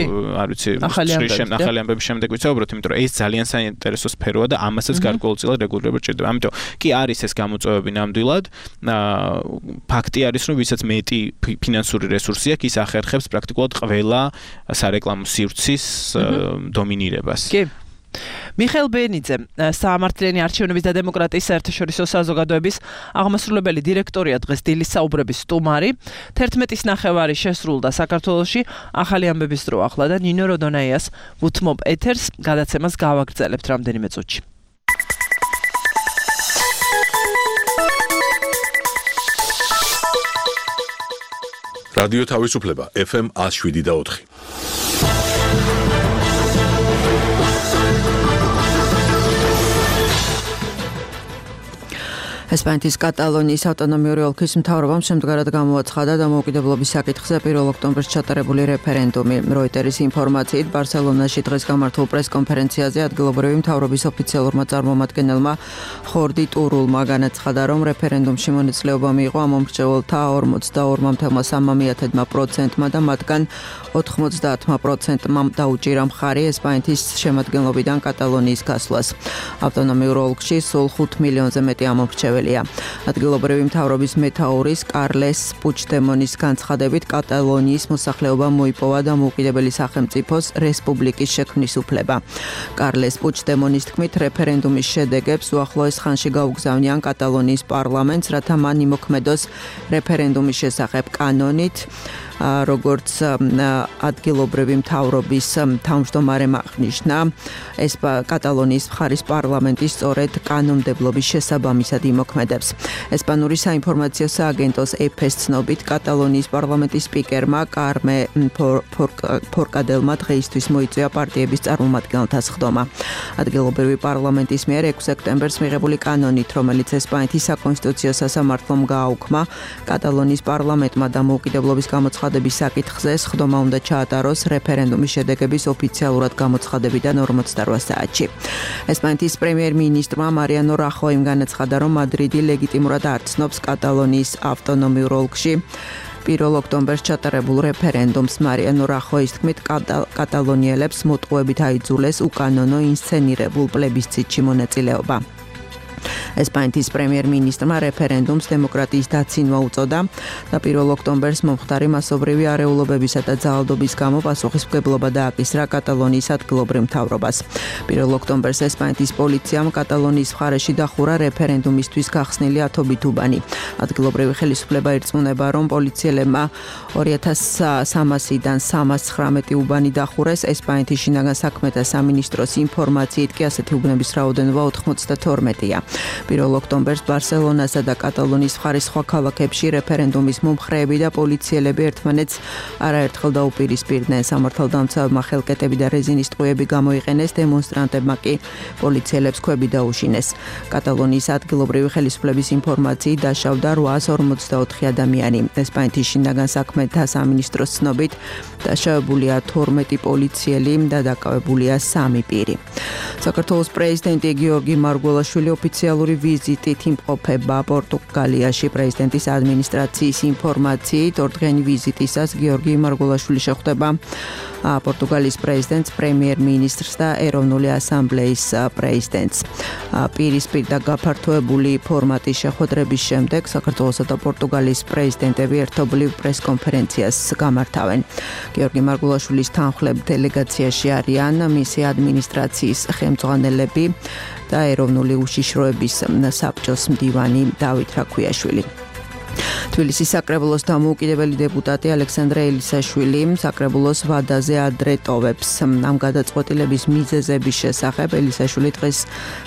არ ვიცი, ახალი ამბების შემდეგ ვიცაუბროთ, იმიტომ რომ ეს ძალიან საინტერესო სფეროა და ამასაც გარკვეულწილად რეგულირება ჭირდება. ამიტომ კი არის ეს გამოწვევები ნამდვილად. ფაქტი არის, რომ ვისაც მეტი ფინანსური რესურსი აქვს, ის ახერხებს პრაქტიკულად ყველა სარეკლამო სივრცის დომინირებას. კი. მიხეილ ბენიძე, საამართლიანი არჩევნების და დემოკრატიის საერთაშორისო საზოგადოების აღმასრულებელი დირექტორია დღეს დილის საუბრების სტუმარი. 11-ის ნახევარი შესრულდა საქართველოში, ახალი ამბების დრო ახლა და ნინო როდონაიას ვუთმობ ეთერს, გადაცემას გავაგრძელებთ რამდენიმე წუთში. რადიო თავისუფლება FM 107.4. ესპანეთის კატალონიის ავტონომიური ოლქის მთავრობამ შემდგარად გამოაცხადა დამოუკიდებლობის საკითხზე 1 ოქტომბერს ჩატარებული რეფერენდუმი. როიტერის ინფორმაციით, ბარსელონაში დღეს გამართულ პრესკონფერენციაზე ადგილობრივი მთავრობის ოფიციალურმა წარმომადგენელმა ხორდი ტურულმა განაცხადა, რომ რეფერენდუმში მონაწილეობა მიიღო ამომრჩეველთა 42.3%-მა და მათგან 90%-მა დაუჭირა მხარი ესპანეთის შემადგენლობიდან კატალონიის გასვლას. ავტონომიურ ოლქში სულ 5 მილიონზე მეტი ამომრჩეველი. ადგილობრივი მთავრობის მეთაურის კარლეს პუჩდემონის განცხადებით კატალონიის მოსახლეობა მოიპოვა დამოუკიდებელი სახელმწიფოს რესპუბლიკის შექმნის უფლება. კარლეს პუჩდემონის თქმით, რეფერენდუმის შედეგებს უახლოეს ხანში გაუგზავნიან კატალონიის პარლამენტს, რათა მან იმოქმედოს რეფერენდუმის შესახებ კანონით, როგორც ადგილობრივი მთავრობის თავმჯდომარემ აღნიშნა, ეს კატალონიის მხარის პარლამენტი სწორედ კანონმდებლობის შესაბამისად იმოქმედებს. ესპანური საინფორმაციო სააგენტოს EFE-ს ცნობით, კატალონიის პარლამენტის სპიკერმა კარმე ფორკადელმა დღეისთვის მოიწვია პარტიების წარმომადგენელთა სხდომა. ადგილობრივი პარლამენტის მიერ 6 სექტემბერს მიღებული კანონით, რომელიც ესპანეთის საკონსტიტუციო სასამართლომ გააუქმა, კატალონიის პარლამენტმა დამოუკიდებლობის გამოცხადების საკითხზე სხდომა უნდა ჩაატაროს რეფერენდუმის შედეგების ოფიციალურად გამოცხადებიდან 48 საათში. ესპანეთის პრემიერ-მინისტრმა მარიანო რახოიმ განაცხადა, რომ მადრიდი ლეგიტიმურად არ ცნობს კატალონიის ავტონომიურ ოლქში 1 ოქტომბერს ჩატარებულ რეფერენდუმს. მარიანო რახოის თქმით, კატალონიელებს მოტყუებით აიძულეს უკანონო ინსცენირებულ პლებისციტში მონაწილეობა. ესპანეთის პრემიერ-მინისტრმა რეფერენდუმს დემოკრატიის დაცინვა უწოდა და 1 ოქტომბერს მომხდარი მასობრივი არეულობებისა და ძალადობის გამო პასუხისმგებლობა დააკისრა კატალონიის ადგილობრივ მთავრობას. 1 ოქტომბერს ესპანეთის პოლიციამ კატალონიის მხარეში დახურა რეფერენდუმისთვის გახსნილი ათობით უბანი. ადგილობრივი ხელისუფლება ირწმუნება, რომ პოლიციელებმა 2300-დან 319 უბანი დახურეს. ესპანეთის შინაგან საქმეთა სამინისტროს ინფორმაციით კი ასეთი უბნების რაოდენობა 92-ია. 1 ოქტომბერს ბარსელონასა და კატალონიის მხარის სხვა ქალაქებში რეფერენდუმის მომხრეები და პოლიციელები ერთმანეთს არაერთხელ დაუპირისპირდნენ. სამართალდამცავებმა ხელკეტები და რეზინის ტყუები გამოიყენეს, დემონსტრანტებმა კი პოლიციელებს ქვები დაუშინეს. კატალონიის ადგილობრივი ხელისუფლების ინფორმაციით დაშავდა 844 ადამიანი. ესპანეთის შინაგან საქმეთა სამინისტროს ცნობით დაშავებულია 12 პოლიციელი და დაკავებულია 3 პირი. საქართველოს პრეზიდენტი გიორგი მარგველაშვილი ოფიციალური ვიზიტით იმყოფება პორტუგალიაში. პრეზიდენტის ადმინისტრაციის ინფორმაციით, 2 დღიანი ვიზიტისას გიორგი მარგველაშვილი შეხვდება პორტუგალიის პრეზიდენტს, პრემიერ-მინისტრს და ეროვნული ასამბლეის პრეზიდენტს. პირისპირ და გაფართოებული ფორმატის შეხვედრების შემდეგ საქართველოსა და პორტუგალიის პრეზიდენტები ერთობლივ პრესკონფერენციას გამართავენ. გიორგი მარგველაშვილის თანხლებ დელეგაციაში არიან მისი ადმინისტრაციის ხელმძღვანელები და ეროვნული უშიშროების საბჭოს მდივანი დავით რაქვიაშვილი. თბილისის საკრებულოს დამოუკიდებელი დეპუტატი ალექსანდრე ელისაშვილი საკრებულოს ვადაზე ადრე ტოვებს. ამ გადაწყვეტილების მიზეზების შესახებ ელისაშვილი დღეს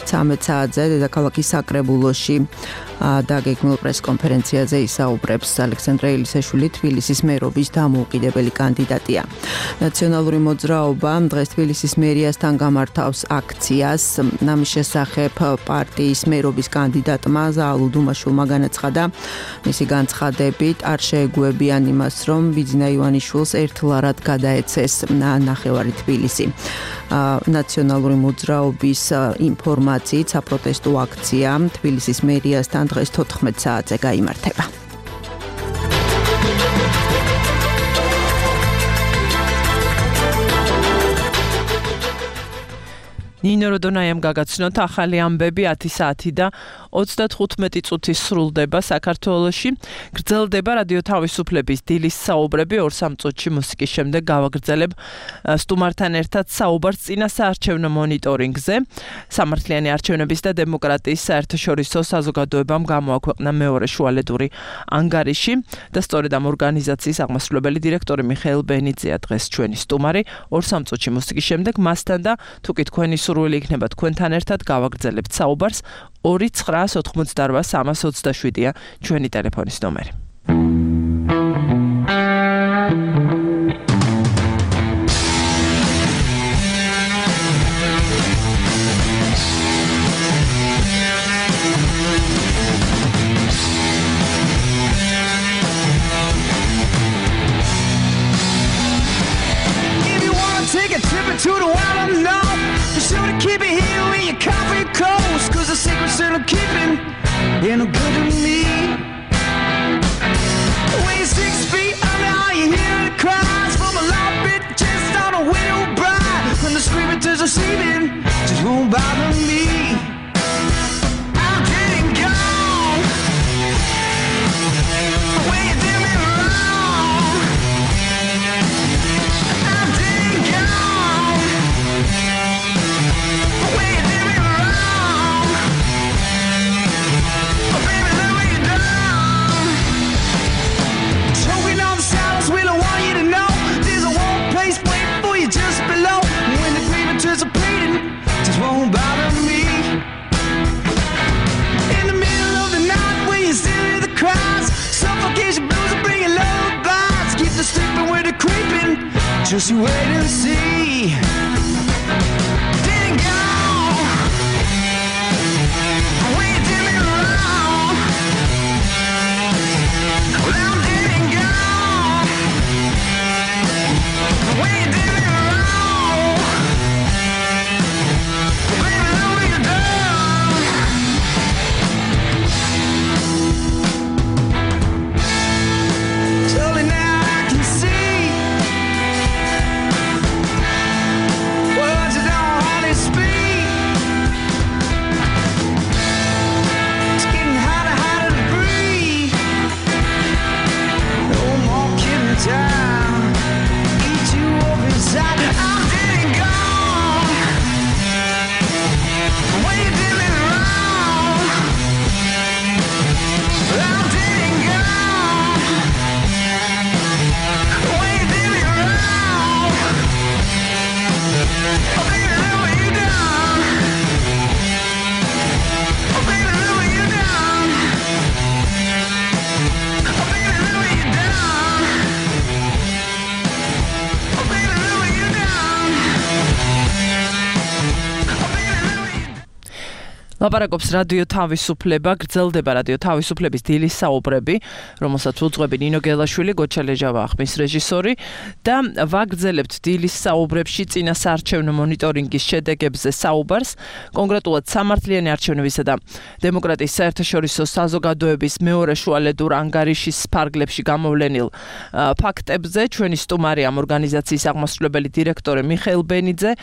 13 საათზე დედაქალაქის საკრებულოში დაგეგმილ პრესკონფერენციაზე ისაუბრებს. ალექსანდრე ელისაშვილი თბილისის მერობის დამოუკიდებელი კანდიდატია. ნაციონალური მოძრაობა დღეს თბილისის მერიასთან გამართავს აქციას. ამის შესახებ პარტიის მერობის კანდიდატმა ზაალუ დუმაშვილმა განაცხადა, მისი განცხადებით არ შეეგუებიან იმას, რომ ბიძინა ივანიშვილს ერთლარად გადაეცეს ნახევარი თბილისი. ნაციონალური მოძრაობის ინფორმაციით საპროტესტო აქცია თბილისის მერიასთან დღეს 14 საათზე გაიმართება. ნინო როდონაიამ გაგაცნოთ ახალი ამბები 10 საათი და 35 წუთი სრულდება საქართველოში. გრძელდება რადიო თავისუფლების დილის საუბრები 2-3 წუთში მუსიკის შემდეგ გავაგრძელებ სტუმართან ერთად საუბარს წინა საარჩევნო მონიტორინგზე. სამართლიანი არჩევნების და დემოკრატიის საერთაშორისო საზოგადოებამ გამოაქვეყნა მეორე შუალედური ანგარიში და სწორედ ამ ორგანიზაციის აღმასრულებელი დირექტორი მიხეილ ბენიძეა დღეს ჩვენი სტუმარი. 2-3 წუთში მუსიკის შემდეგ მასთან და თუკი თქვენი სურვილი იქნება თქვენთან ერთად გავაგრძელებთ საუბარს 2988 ჩვენი ტელეფონის ნომერი. To the wild unknown, be sure to keep it here in your coffee coast, cause the secret's still keeping, ain't no good to me. When you're 6 feet under, all you hear the cries from a loud bit just on a widow bride. When the screaming turns receiving, just won't bother me. I'm getting gone. When you did me wrong, I'm getting gone. When you did me wrong, oh baby, let me down. Choking on the silence, we don't want you to know. There's a warm place waiting for you just below. When the grieving turns to bleeding, just won't bother me. In the middle of the night, when you still hear the cries, suffocation blues are bringing lullabies. Keep the sleeping where they're creeping, just you wait and see. Didn't go when you did me wrong. Well, I'm didn't go when you did me wrong. Baby, let me down. Slowly now I can see words that don't hardly speak. It's getting harder, harder to breathe. No more kidding time. Eat you up inside. I'm dead and gone. When you did me wrong, I'm dead and gone. When you did me wrong, oh baby, let me down. Oh baby, let me down. Oh baby, let me down. Oh baby, let me down. Oh baby, let me. ლაპარაკობს რადიო თავისუფლება, გრძელდება რადიო თავისუფლების დილის საუბრები, რომელსაც უძღვები ნინო გელაშვილი, გოჩა ლეჟავა ხმის რეჟისორი და ვაგრძელებთ დილის საუბრებში წინა საარჩევნო მონიტორინგის შედეგებზე საუბარს, კონკრეტულად სამართლიანი არჩევნებისა და დემოკრატიის საერთაშორისო საზოგადოების მეორე შუალედურ ანგარიშის ფარგლებში გამოვლენილ ფაქტებზე. ჩვენი სტუმარი ამ ორგანიზაციის აღმასრულებელი დირექტორი მიხეილ ბენიძე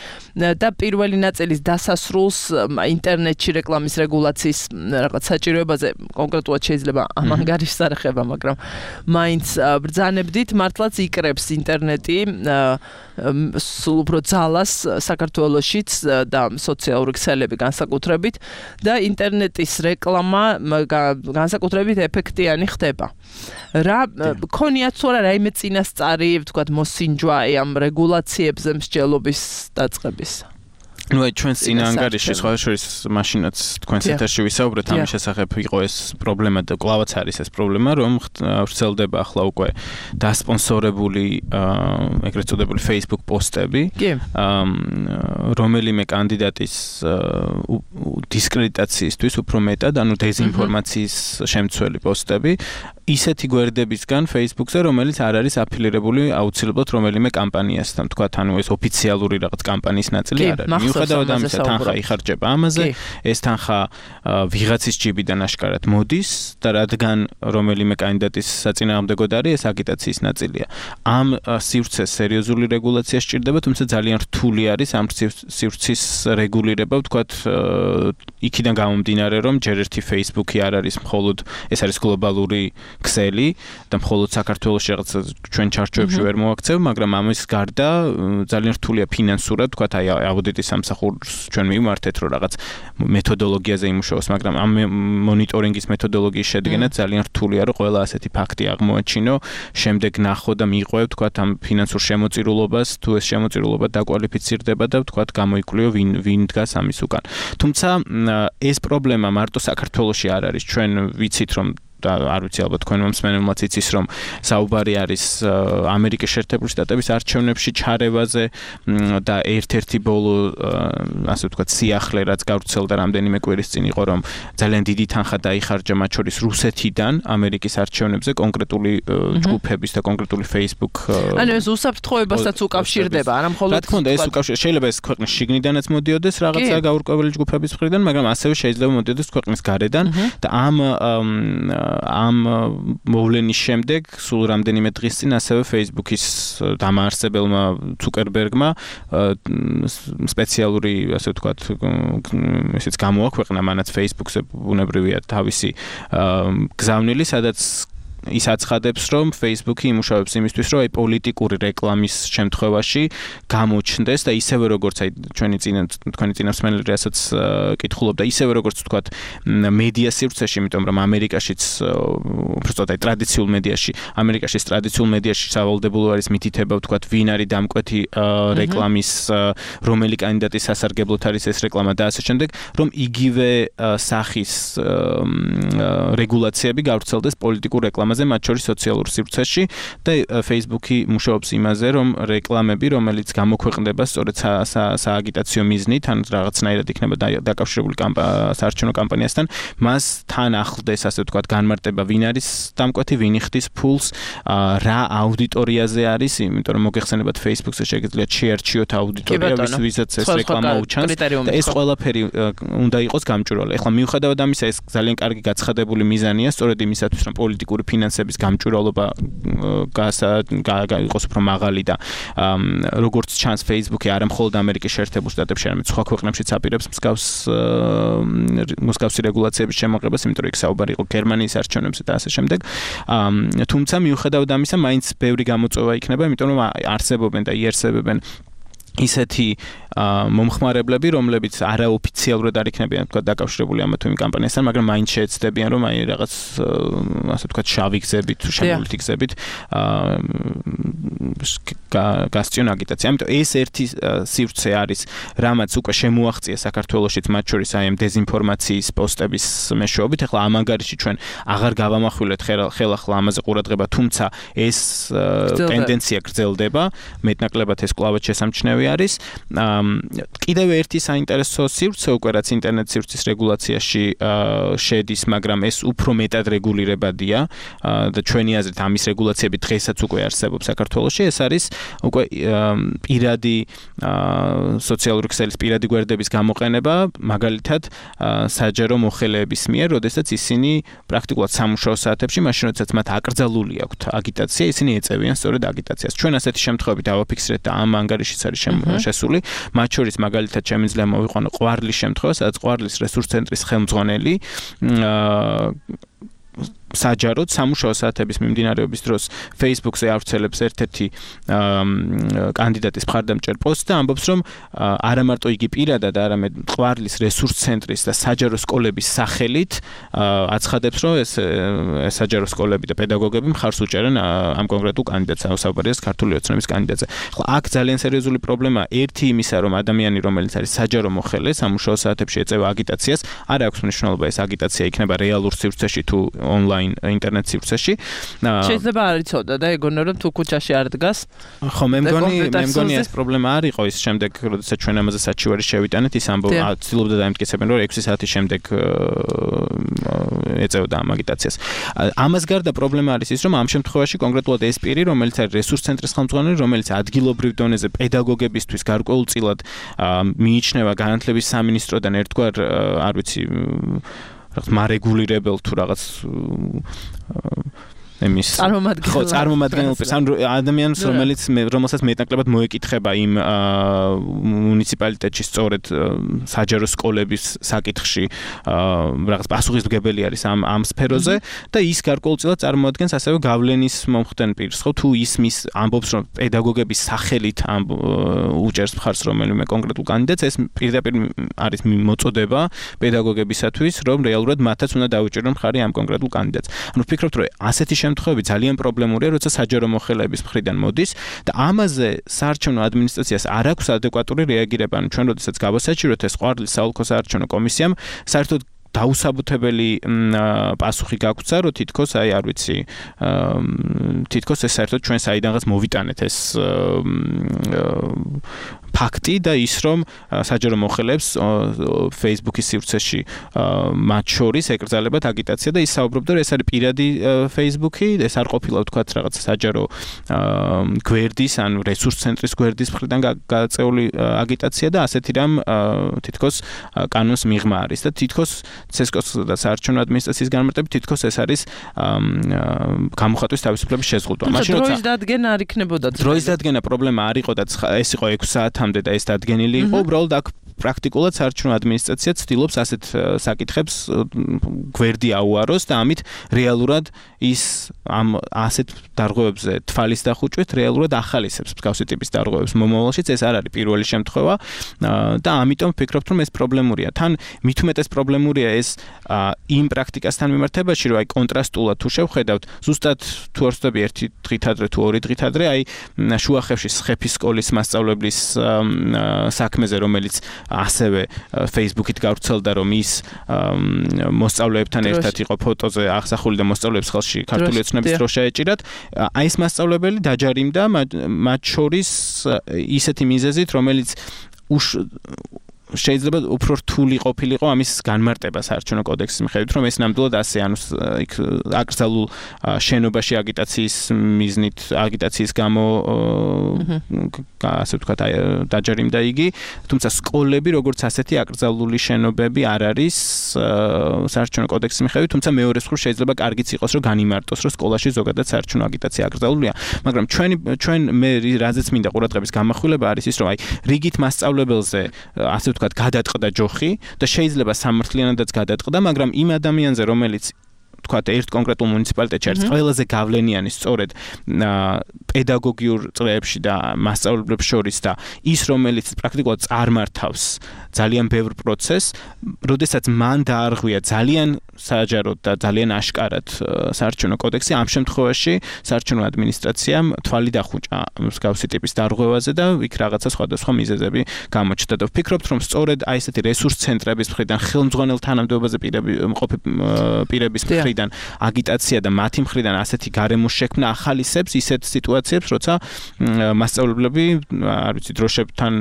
და პირველი ნაწილის დასასრულს ინტერნეტში რეკლამის რეგულაციის რაღაც საჭიროებაზე კონკრეტულად შეიძლება ამ ანგარიშს არ ეხება, მაგრამ მაინც ბრძანებდით, მართლაც იკრებს ინტერნეტი სულ უფრო ძალას საქართველოშიც და სოციალური ქსელები განსაკუთრებით და ინტერნეტის რეკლამა განსაკუთრებით ეფექტიანი ხდება. რა ქონიათ თუ არა რაიმე წინასწარი, ვთქვათ, მოსინჯვა ამ რეგულაციებზე მსჯელობის დაწყების? ну ჩვენს წინა ანგარიში სხვა შორის მაშინაც თქვენს ეთერში ვისაუბრეთ ამის შესახებ იყო ეს პრობლემა და კლავაც არის ეს პრობლემა რომ ვრცელდება ახლა უკვე დასპონსორებული ეგრეთ წოდებული Facebook პოსტები რომელიმე კანდიდატის დისკრედიტაციისთვის უფრო მეტად ანუ დეზინფორმაციის შემცველი პოსტები ისეთი გვერდებისგან Facebook-ზე რომელიც არ არის აფილირებული აუცილებლად რომელიმე კამპანიასთან თქვა ანუ ეს ოფიციალური რაღაც კამპანიის ნაწილი არ არის მიუხედავად ამისა თანხა იხარჯება ამაზე ეს თანხა ვიღაცის ჯიბიდან აშკარად მოდის და რადგან რომელიმე კანდიდატის საწინააღმდეგოდ არის ეს აგიტაციის ნაწილია ამ სივრცეს სერიოზული რეგულაცია სჭირდება თუმცა ძალიან რთული არის ამ სივრცის რეგულირება ვთქვათ იქიდან გამომდინარე რომ ჯერ ერთი Facebook-ი არ არის მხოლოდ ეს არის გლობალური ქსელი და მხოლოდ საქართველოში რაღაც ჩვენ ჩარჩოებში ვერ მოაქცევ, მაგრამ ამის გარდა ძალიან რთულია ფინანსურად, თქვათ აი აუდიტის სამსახურს ჩვენ მივმართეთ, რომ რაღაც მეთოდოლოგიაზე იმუშაოს, მაგრამ ამ მონიტორინგის მეთოდოლოგიის შედგენა ძალიან რთულია, რომ ყველა ასეთი ფაქტი აღმოაჩინო, შემდეგ ნახო და მიყვევ, თქვათ ამ ფინანსურ შემოწირულობას, თუ ეს შემოწირულობა დაკვალიფიცირდება და თქვათ გამოიკვლიო ვინ დგას ამის უკან. თუმცა ეს პრობლემა მარტო საქართველოში არ არის, ჩვენ ვიცით რომ და არ ვიცი ალბათ თქვენ მომსმენელმაც იცის რომ საუბარი არის ამერიკის შეერთებული შტატების არჩევნებში ჩარევაზე და ერთ-ერთი ბოლო ასე ვთქვათ სიახლე რაც გავრცელდა რამდენიმე კვირის წინ იყო რომ ძალიან დიდი თანხა დაიხარჯა მათ შორის რუსეთიდან ამერიკის არჩევნებზე კონკრეტული ჯგუფების და კონკრეტული Facebook ანუ ეს უსაფრთხოებასაც უკავშირდება არა მხოლოდ რა თქმა უნდა ეს უკავშირდება შეიძლება ეს ქვეყნის შიგნიდანაც მოდიოდეს რაღაცა გაურკვეველი ჯგუფების მხრიდან მაგრამ ასევე შეიძლება მოდიოდეს ქვეყნის გარედან და ამ მოვლენის შემდეგ სულ რამდენიმე დღის წინ ასევე Facebook-ის დამაარსებელმა ცუკერბერგმა სპეციალური ასე ვთქვათ ესეც გამოაქვეყნა მანაც Facebook-ზე ბუნებრივია თავისი გზავნილი სადაც ის აცხადებს რომ Facebook-ი იმუშავებს იმისთვის რომ აი პოლიტიკური რეკლამის შემთხვევაში გამოჩნდეს და ისევე როგორც აი თქვენი წინასწმენელი რასაც კითხულობდა ისევე როგორც ვთქვათ მედია სივრცეში იმიტომ რომ ამერიკაშიც უბრალოდ აი ტრადიციულ მედიაში სავალდებულო არის მითითება ვთქვათ ვინ არის დამკვეთი რეკლამის რომელი კანდიდატის სასარგებლოდ არის ეს რეკლამა და ასე შემდეგ რომ იგივე სახის რეგულაციები გავრცელდეს პოლიტიკურ რეკლამაზე მათ შორის სოციალურ სივრცეში და Facebook-ი მუშაობს იმაზე რომ რეკლამები რომელიც გამოქვეყნდება სწორედ სააგიტაციო მიზნით ან რაღაცნაირად იქნება დაკავშირებული საარჩევნო კამპანიასთან მას თან ახლდეს ასე ვთქვათ განმარტება ვინ არის დამკვეთი ვინ იხდის ფულს რა აუდიტორიაზე არის იმიტომ რომ მოგეხსენებათ Facebook-ზე შეგიძლიათ შეარჩიოთ აუდიტორია ვისაც ეს რეკლამა უჩანს და ეს ყველაფერი უნდა იყოს გამჭვირვალე ეხლა მიუხედავად ამისა ეს ძალიან კარგი გაცხადებული მიზანია სწორედ იმისათვის რომ პოლიტიკური ფინანსების გამჭვირვალობა იყოს უფრო მაღალი და როგორც ჩანს Facebook-ი არა მხოლოდ ამერიკის შეერთებულ შტატებში, არამედ სხვა ქვეყნებშიც აპირებს მსგავსი რეგულაციების შემოღებას, იმიტომ რომ იქ საუბარი იყო გერმანიის არჩევნებზე და ასე შემდეგ. თუმცა მიუხედავად ამისა, მაინც ბევრი გამოწვევა იქნება, იმიტომ რომ არსებობენ და იარსებებენ ისეთი მომხმარებლები, რომლებიც არაოფიციალურად არ იქნებიან თქვა დაკავშირებული ამ თუ იმ კამპანიასთან, მაგრამ მაინც შეეცდებიან რომ აი რაღაც ასე ვთქვათ შავი გზებით თუ შემოვლითი გზებით გასწიონ აგიტაცია. ამიტომ ეს ერთი სივრცე არის, რამაც უკვე შემოაღწია საქართველოშიც მათ შორის აი ამ დეზინფორმაციის პოსტების მეშვეობით. ეხლა ამ ანგარიში ჩვენ აღარ გავამახვილეთ ხელახლა ამაზე ყურადღება, თუმცა ეს ტენდენცია გრძელდება, მეტნაკლებად ეს კვლავაც შესამჩნევი არის. კიდევ ერთი საინტერესო სივრცე უკვე რაც ინტერნეტ სივრცის რეგულაციაში შედის, მაგრამ ეს უფრო მეტად რეგულირებადია და ჩვენი აზრით ამის რეგულაციები დღესაც უკვე არსებობს საქართველოში. ეს არის უკვე პირადი სოციალური ქსელის პირადი გვერდების გამოყენება, მაგალითად საჯარო მოხელეების მიერ, როდესაც ისინი პრაქტიკულად სამუშაო საათებში, მაშინ როდესაც მათ აკრძალული აქვთ აგიტაცია, ისინი ეწევიან სწორედ აგიტაციას. ჩვენ ასეთი შემთხვევები დავაფიქსირეთ და ამ ანგარიშიც არის შესული. მათ შორის მაგალითად შემიძლია მოვიყვანო ყვარლის შემთხვევა, სადაც ყვარლის რესურს ცენტრის ხელმძღვანელი საჯაროდ სამუშაო საათების მიმდინარეობის დროს Facebook-ზე ავრცელებს ერთ-ერთი კანდიდატის მხარდამჭერ პოსტს და ამბობს, რომ არა მარტო იგი პირადად, არამედ ყვარლის რესურს ცენტრის და საჯარო სკოლების სახელით აცხადებს, რომ ეს საჯარო სკოლები და პედაგოგები მხარს უჭერენ ამ კონკრეტულ კანდიდატს, საუბარია ქართული ოცნების კანდიდატზე. ხო, აქ ძალიან სერიოზული პრობლემაა ერთი იმისა, რომ ადამიანი, რომელიც არის საჯარო მოხელე, სამუშაო საათებში ეწევა აგიტაციას, არ აქვს მნიშვნელობა ეს აგიტაცია იქნება რეალურ სივრცეში თუ ონლაინ ინტერნეტ სივრცეში. შეიძლება არ იცოდა და ეგონა რომ თუ ქუჩაში არ დგას. ხო, მე მგონი ეს პრობლემა არ იყო ის შემდეგ, როდესაც ჩვენ ამაზე საჩივარი შევიტანეთ, ის ცდილობდა დაემტკიცებენ, რომ 6 საათის შემდეგ ეწეოდა ამ აგიტაციას. ამას გარდა პრობლემა არის ის, რომ ამ შემთხვევაში კონკრეტულად ეს პირი, რომელიც არის რესურს ცენტრის ხელმძღვანელი, რომელიც ადგილობრივ დონეზე პედაგოგებისთვის გარკვეულწილად მიიჩნევა განათლების სამინისტროდან ერთგვარ, არ ვიცი, მარეგულირებელ თუ რაღაც წარმომადგენელს ან ადამიანს, რომელსაც მეტნაკლებად მოეკითხება იმ მუნიციპალიტეტში სწორედ საჯარო სკოლების საკითხში რაღაც პასუხისმგებელი არის ამ სფეროზე და ის გარკვეულწილად წარმოადგენს ასევე გავლენის მომხდენ პირს, ხო, თუ ის მის ამბობს, რომ პედაგოგების სახელით უჭერს მხარს რომელიმე კონკრეტულ კანდიდატს, ეს პირდაპირ არის მოწოდება პედაგოგებისათვის, რომ რეალურად მათაც უნდა დაუჭირონ მხარი ამ კონკრეტულ კანდიდატს. ანუ ვფიქრობთ, რომ ასეთი შემთხვევები ძალიან პრობლემურია, როცა საჯარო მოხელეების მხრიდან მოდის და ამაზე საარჩევნო ადმინისტრაციას არ აქვს ადეკვატური რეაგირება. ანუ ჩვენ როდესაც გავასაჭიროთ ეს ყვარლის საოლქო საარჩევნო კომისიამ, საერთოდ დაუსაბუთებელი პასუხი გაგვცა, რომ თითქოს აი არ ვიცი, თითქოს ეს საერთოდ ჩვენ საიდანღაც მოვიტანეთ ეს ფაქტი და ის რომ საჯარო მოხელეებს Facebook-ის სივრცეში მათ შორის ეკრძალებათ აგიტაცია და ის საუბრობდა, რომ ეს არის პირადი Facebook-ი, ეს არ ყოფილა ვთქვათ რაღაც საჯარო გვერდის ან რესურს ცენტრის გვერდის მხრიდან გაწეული აგიტაცია და ასეთი რამ თითქოს კანონს მიღმა არის და თითქოს CSKOS და საარჩევნო ადმინისტრაციის განმარტებით თითქოს ეს არის გამოხატვის თავისუფლების შეზღუდვა. მაშინ როცა დროის დადგენა არ იქნებოდა. დროის დადგენა პრობლემა არ იყო და ეს იყო 6 საათამდე და ეს დადგენილი იყო, უბრალოდ აქ პრაქტიკულად საარჩევნო ადმინისტრაცია ცდილობს ასეთ საკითხებს გვერდი აუაროს და ამით რეალურად ის ამ ასეთ დარღვევებზე თვალის დახუჭვით რეალურად ახალისებს მსგავსი ტიპის დარღვევებს მომავალშიც. ეს არ არის პირველი შემთხვევა და ამიტომ ვფიქრობთ, რომ ეს პრობლემურია. თან მით უმეტეს პრობლემურია ეს იმ პრაქტიკასთან მიმართებაში, რომ აი კონტრასტულად თუ შევხედავთ, ზუსტად თუ არ ვცდები ერთი დღით ადრე თუ ორი დღით ადრე აი შუახევში სხეფის სკოლის მასწავლებლის საქმეზე, რომელიც ასევე Facebook-ით გავრცელდა, რომ ის მოსწავლეებთან ერთად იყო ფოტოზე აღსახული და მოსწავლეებს ხელში ქართული ოცნების დროშა ეჭირათ. აი ეს მასწავლებელი დაჯარიმდა მათ შორის ისეთი მიზეზით, რომელიც შეიძლება უფრო რთული ყოფილიყო ამის განმარტება საარჩევნო კოდექსის მიხედვით, რომ ეს ნამდვილად ასე, ანუ იქ აკრძალულ შენობაში აგიტაციის მიზნით, აგიტაციის გამო ასე ვთქვათ, დაჯარიმდა იგი, თუმცა სკოლები როგორც ასეთი აკრძალული შენობები არ არის საარჩევნო კოდექსის მიხედვით, თუმცა მეორე მხრივ შეიძლება კარგიც იყოს, რომ განიმარტოს, რომ სკოლაში ზოგადად საარჩევნო აგიტაცია აკრძალულია, მაგრამ ჩვენ მე რაზეც მინდა ყურადღების გამახვილება არის ის, რომ აი რიგით მასწავლებელზე ასე ვთქვათ, გადატყდა ჯოხი და შეიძლება სამართლიანადაც გადატყდა, მაგრამ იმ ადამიანზე, რომელიც ვთქვათ, ერთ კონკრეტულ მუნიციპალიტეტში არის ყველაზე გავლენიანი სწორედ პედაგოგიურ წრეებში და მასწავლებლებს შორის და ის, რომელიც პრაქტიკულად წარმართავს ძალიან ბევრ პროცესს, როდესაც მან დაარღვია ძალიან საჯაროდ და ძალიან აშკარად საარჩევნო კოდექსი, ამ შემთხვევაში საარჩევნო ადმინისტრაციამ თვალი დახუჭა მსგავსი ტიპის დარღვევაზე და იქ რაღაცა სხვადასხვა მიზეზები გამოჩნდა და ვფიქრობთ, რომ სწორედ აი ესეთი რესურს ცენტრების მხრიდან, ხელმძღვანელ თანამდებობაზე მყოფი პირების მხრიდან აგიტაცია და მათი მხრიდან ასეთი გარემოს შექმნა ახალისებს ისეთ სიტუაციებს, როცა მასწავლებლები, არ ვიცი, დროშებთან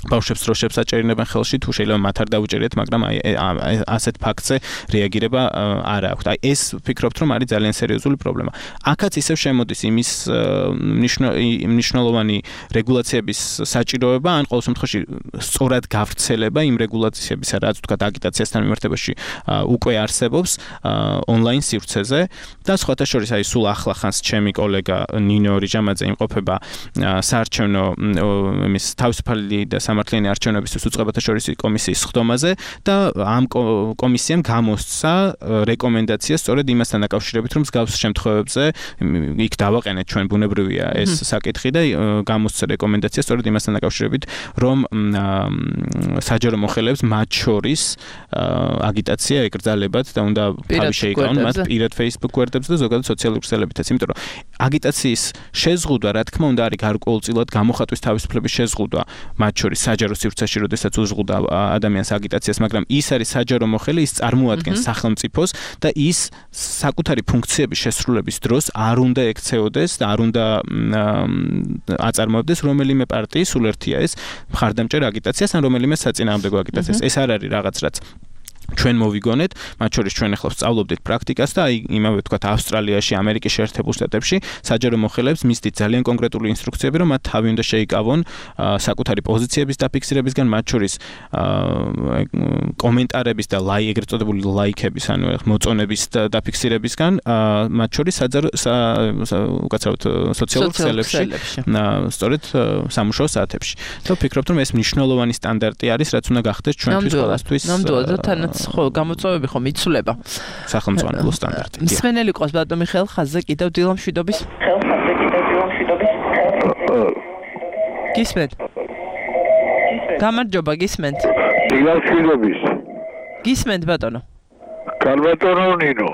ბავშვებს დროშებს აჭერინებენ ხელში, თუ შეიძლება მათ არ დაუჭერიათ, მაგრამ აი ასეთ ფაქტზე რეაგირება არ აქვს. აი ეს ვფიქრობთ, რომ არის ძალიან სერიოზული პრობლემა. აქაც ისევ შემოდის იმის მნიშვნელოვანი რეგულაციების საჭიროება, ან ყოველ შემთხვევაში სწორად გავრცელება იმ რეგულაციებისა, რაც ვთქვათ აგიტაციასთან მიმართებაში უკვე არსებობს ონლაინ სივრცეზე და სხვათა შორის აი სულ ახლახანს ჩემი კოლეგა ნინო რიჟამაძე იმყოფება საარჩევნო იმის თავისუფალი და სამართლიანი არჩევნებისთვის უწყებათა შორისი კომისიის ხდომაზე და ამ კომისიამ გამოსცა რეკომენდაცია სწორედ იმასთან დაკავშირებით, რომ მსგავს შემთხვევებზე იქ დავაყენეთ ჩვენ ბუნებრივია ეს საკითხი და გამოსცა რეკომენდაცია სწორედ იმასთან დაკავშირებით, რომ საჯარო მოხელეებს მათ შორის აგიტაცია ეკრძალებათ და უნდა თავი შეიკავონ მათ პირად Facebook გვერდებზე და ზოგადად სოციალურ ქსელებითაც, იმიტომ რომ აგიტაციის შეზღუდვა, რა თქმა უნდა, არის გარკვეულწილად გამოხატვის თავისუფლების შეზღუდვა, მათ შორის საჯარო სივრცეში, როდესაც უზღუდა ადამიანს აგიტაციას, მაგრამ ის არის საჯარო მოხელე, ის წარმოადგენს სახელმწიფოს და ის საკუთარი ფუნქციების შესრულების დროს არ უნდა ექცეოდეს და არ უნდა აწარმოებდეს რომელიმე პარტიის, სულ ერთია ეს, მხარდამჭერ აგიტაციას ან რომელიმე საწინააღმდეგო აგიტაციას. ეს არ არის რაღაც რაც ჩვენ მოვიგონეთ, მათ შორის ჩვენ ახლა ვსწავლობდით პრაქტიკას და იმავე თქვათ ავსტრალიაში, ამერიკის შეერთებულ შტატებში საჯარო მოხელეებს მისდით ძალიან კონკრეტული ინსტრუქციები, რომ მათ თავი უნდა შეიკავონ საკუთარი პოზიციების დაფიქსირებისგან, მათ შორის კომენტარების და ეგრეთ წოდებული ლაიქების, ანუ მოწონების დაფიქსირებისგან, მათ შორის უკაცრავად სოციალურ ქსელებში, სწორედ სამუშაო საათებში. და ვფიქრობ, რომ ეს მნიშვნელოვანი სტანდარტი არის, რაც უნდა გახდეს ჩვენთვის ყველასთვის. ხო, გამოწვევები ხომ იცვლება. სახელმწიფო სტანდარტი. მსმენელი ყავს ბატონ მიხეილ ხაზზე კიდევ დილა მშვიდობის. გისმენთ? გამარჯობა, გისმენთ? დილა მშვიდობის. გისმენთ ბატონო? კარბატონო ნინო.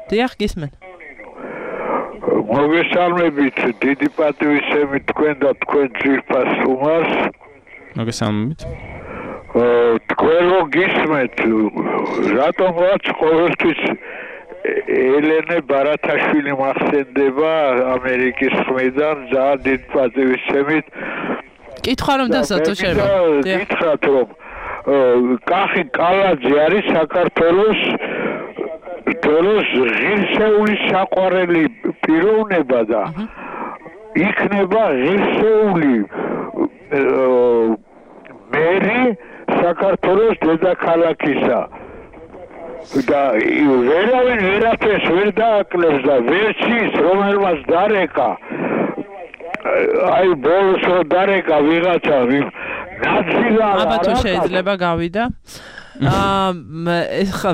დიახ, გისმენთ. მოგესალმებით, დიდი პატივისცემით თქვენ და თქვენ ძვირფას სტუმარს. მოგესალმებით. თქვენ გისმენთ, რატომღაც ყოველთვის ელენე ბარათაშვილი მახსენდება ამერიკის ხმიდან, ძალიან დიდ პატივისცემით. კითხვა რომ დასათო შეიძლება. გითხრათ რომ კახი კალაძე არის საქართველოს ღირსეული საყვარელი პიროვნება და იქნება ღირსეული მერი საქართველოს დედაქალაქისა და ვერავინ ვერაფერს ვერ დააკლებს და ვერც ის რომელმაც დარეკა აი ბოლოს რო დარეკა ვიღაცა ნაციზმა აბა შეიძლება გავიდა ეხა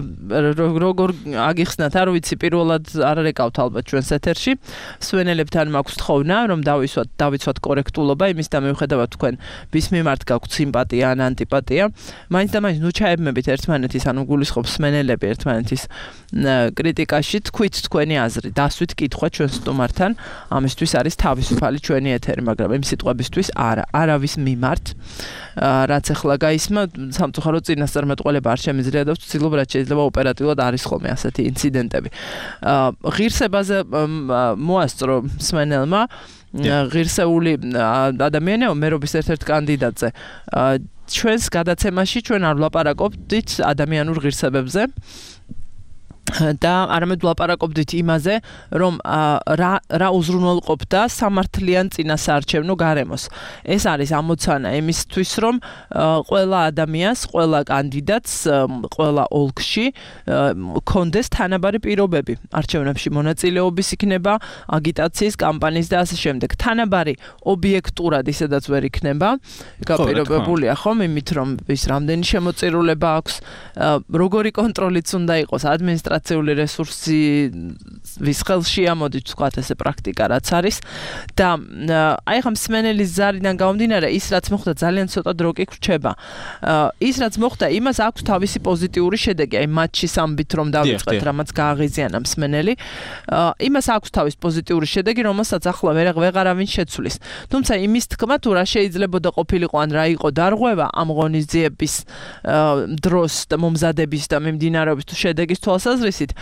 როგორ აგიხსნათ, არ ვიცი, პირველად არ რეკავთ ალბათ ჩვენს ეთერში. მსმენელებთან მაქვს თხოვნა, რომ დავიცვათ კორექტულობა, იმის და მიუხედავად თქვენ ვის მიმართ გაქვთ სიმპათია ან ანტიპათია, მაინც და მაინც ნუ ჩაებმებით ერთმანეთის, ანუ გულისხმობ მსმენელები ერთმანეთის კრიტიკაში, თქვით თქვენი აზრი, დასვით კითხვა ჩვენ სტუმართან, ამისთვის არის თავისუფალი ჩვენი ეთერი, მაგრამ იმ სიტყვებისთვის არავის მიმართ, რაც ახლა გაისმა, სამწუხაროდ წინასწარმეტყველება არ შემიძლია და ვცდილობ რაც შეიძლება ოპერატიულად არის ხოლმე ასეთი ინციდენტები. ღირსებაზე მოასწრო მსმენელმა ღირსეული ადამიანეო მერობის ერთ-ერთ კანდიდატზე. ჩვენს გადაცემაში ჩვენ არ ვლაპარაკობდით ადამიანურ ღირსებებზე. და არამედ ვლაპარაკობდით იმაზე, რომ რა უზრუნველყოფდა სამართლიან წინასაარჩევნო გარემოს. ეს არის ამოცანა იმისთვის, რომ ყველა ადამიანს, ყველა კანდიდატს, ყველა ოლქში კონდეს თანაბარი პირობები. არჩევნებში მონაწილეობის იქნება, აგიტაციის, კამპანიის და ასე შემდეგ. თანაბარი ობიექტურად ისედაც ვერ იქნება. გაპირობებულია ხომ იმით, რომ ის რამდენი შემოწირულება აქვს, როგორი კონტროლიც უნდა იყოს ადმინისტრაციული რესურსი ვის ხელში ამოდით თქვათ ესე პრაქტიკა რაც არის და აი ხა მსმენელის ზარიდან გამომდინარე ის რაც მოხდა ძალიან ცოტა დრო კი გრჩება ის რაც მოხდა იმას აქვს თავისი პოზიტიური შედეგი აი მატჩის ამბით რომ დავიწყეთ რამაც გააღიზიანა მსმენელი იმას აქვს თავის პოზიტიური შედეგი რომელსაც ახლა ვეღარავინ შეცვლის თუმცა იმის თქმა თუ რა შეიძლებოდა ყოფილიყო ან რა იყო დარღვევა ამ ღონისძიების დროს და მომზადების და მიმდინარეობის თუ შედეგის თვალსაზრისით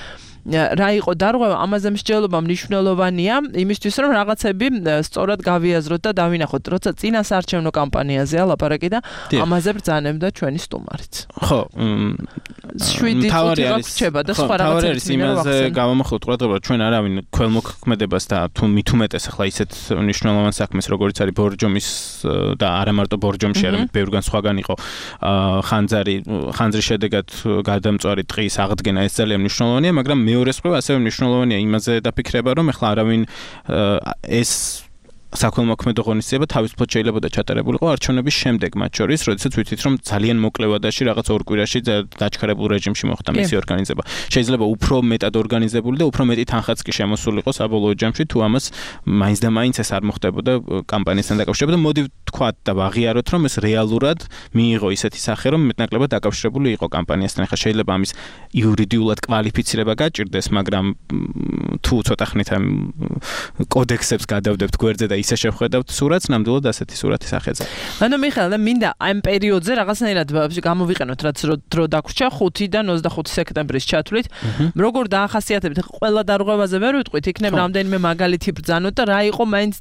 რა იყო დარღვევა ამაზე მსჯელობა მნიშვნელოვანია იმისთვის რომ რაღაცები სწორად გავიაზროთ და დავინახოთ როცა წინასაარჩევნო კამპანიაზეა ლაპარაკი და ამაზე ბრძანებდა ჩვენი სტუმარიც ხო 7 წუთი გაგრჩება და სხვა რაღაცებს იმაზე გავამახვილოთ ყურადღება ჩვენ არავინ ქველმოქმედებას და თუ მით უმეტეს ახლა ისეთ მნიშვნელოვან საქმეს როგორც არის ბორჯომის და არა მარტო ბორჯომში არამედ ბევრგან სხვაგან იყო ხანძრის შედეგად გადამწვარი ტყის აღდგენა ეს ძალიან მნიშვნელოვანია მაგრამ მეორე სხვა ასევე მნიშვნელოვანია იმაზე დაფიქრება რომ ახლა არავინ ეს საქველმოქმედო ღონისძიება თავისუფლად შეიძლება და ჩატარებულიყო არჩევნების შემდეგ, მათ შორის, როდესაც ვიცით, რომ ძალიან მოკლე ვადაში რაღაც ორ კვირაში დაჩქარებულ რეჟიმში მოხდა მისი ორგანიზება. შეიძლება უფრო მეტად ორგანიზებული და უფრო მეტი თანხაც კი შემოსულიყო საბოლოო ჯამში, თუ ამას მაინც და მაინც ეს არ მოხდებოდა კამპანიასთან დაკავშირებით. მოდი ვთქვათ და ვაღიაროთ, რომ ეს რეალურად მიიღო ისეთი სახე, რომ მეტნაკლებად დაკავშირებული იყო კამპანიასთან. ახლა შეიძლება ამის იურიდიულად კვალიფიცირება გაჭირდეს, მაგრამ თუ ცოტა ხნით ამ კოდექსებს გადავდებთ გვერდზე და ისე შევხედავთ სურათს, ნამდვილად ასეთი სურათი სახეზე. ანუ მიხეილ, და მინდა ამ პერიოდზე რაღაცნაირად გამოვიყენოთ, რაც დრო დაგვრჩა 5-დან 25 სექტემბრის ჩათვლით. როგორ დაახასიათებთ? ყველა დარღვევაზე ვერ ვიტყვით, იქნებ რამდენიმე მაგალითი ბრძანოთ და რა იყო მაინც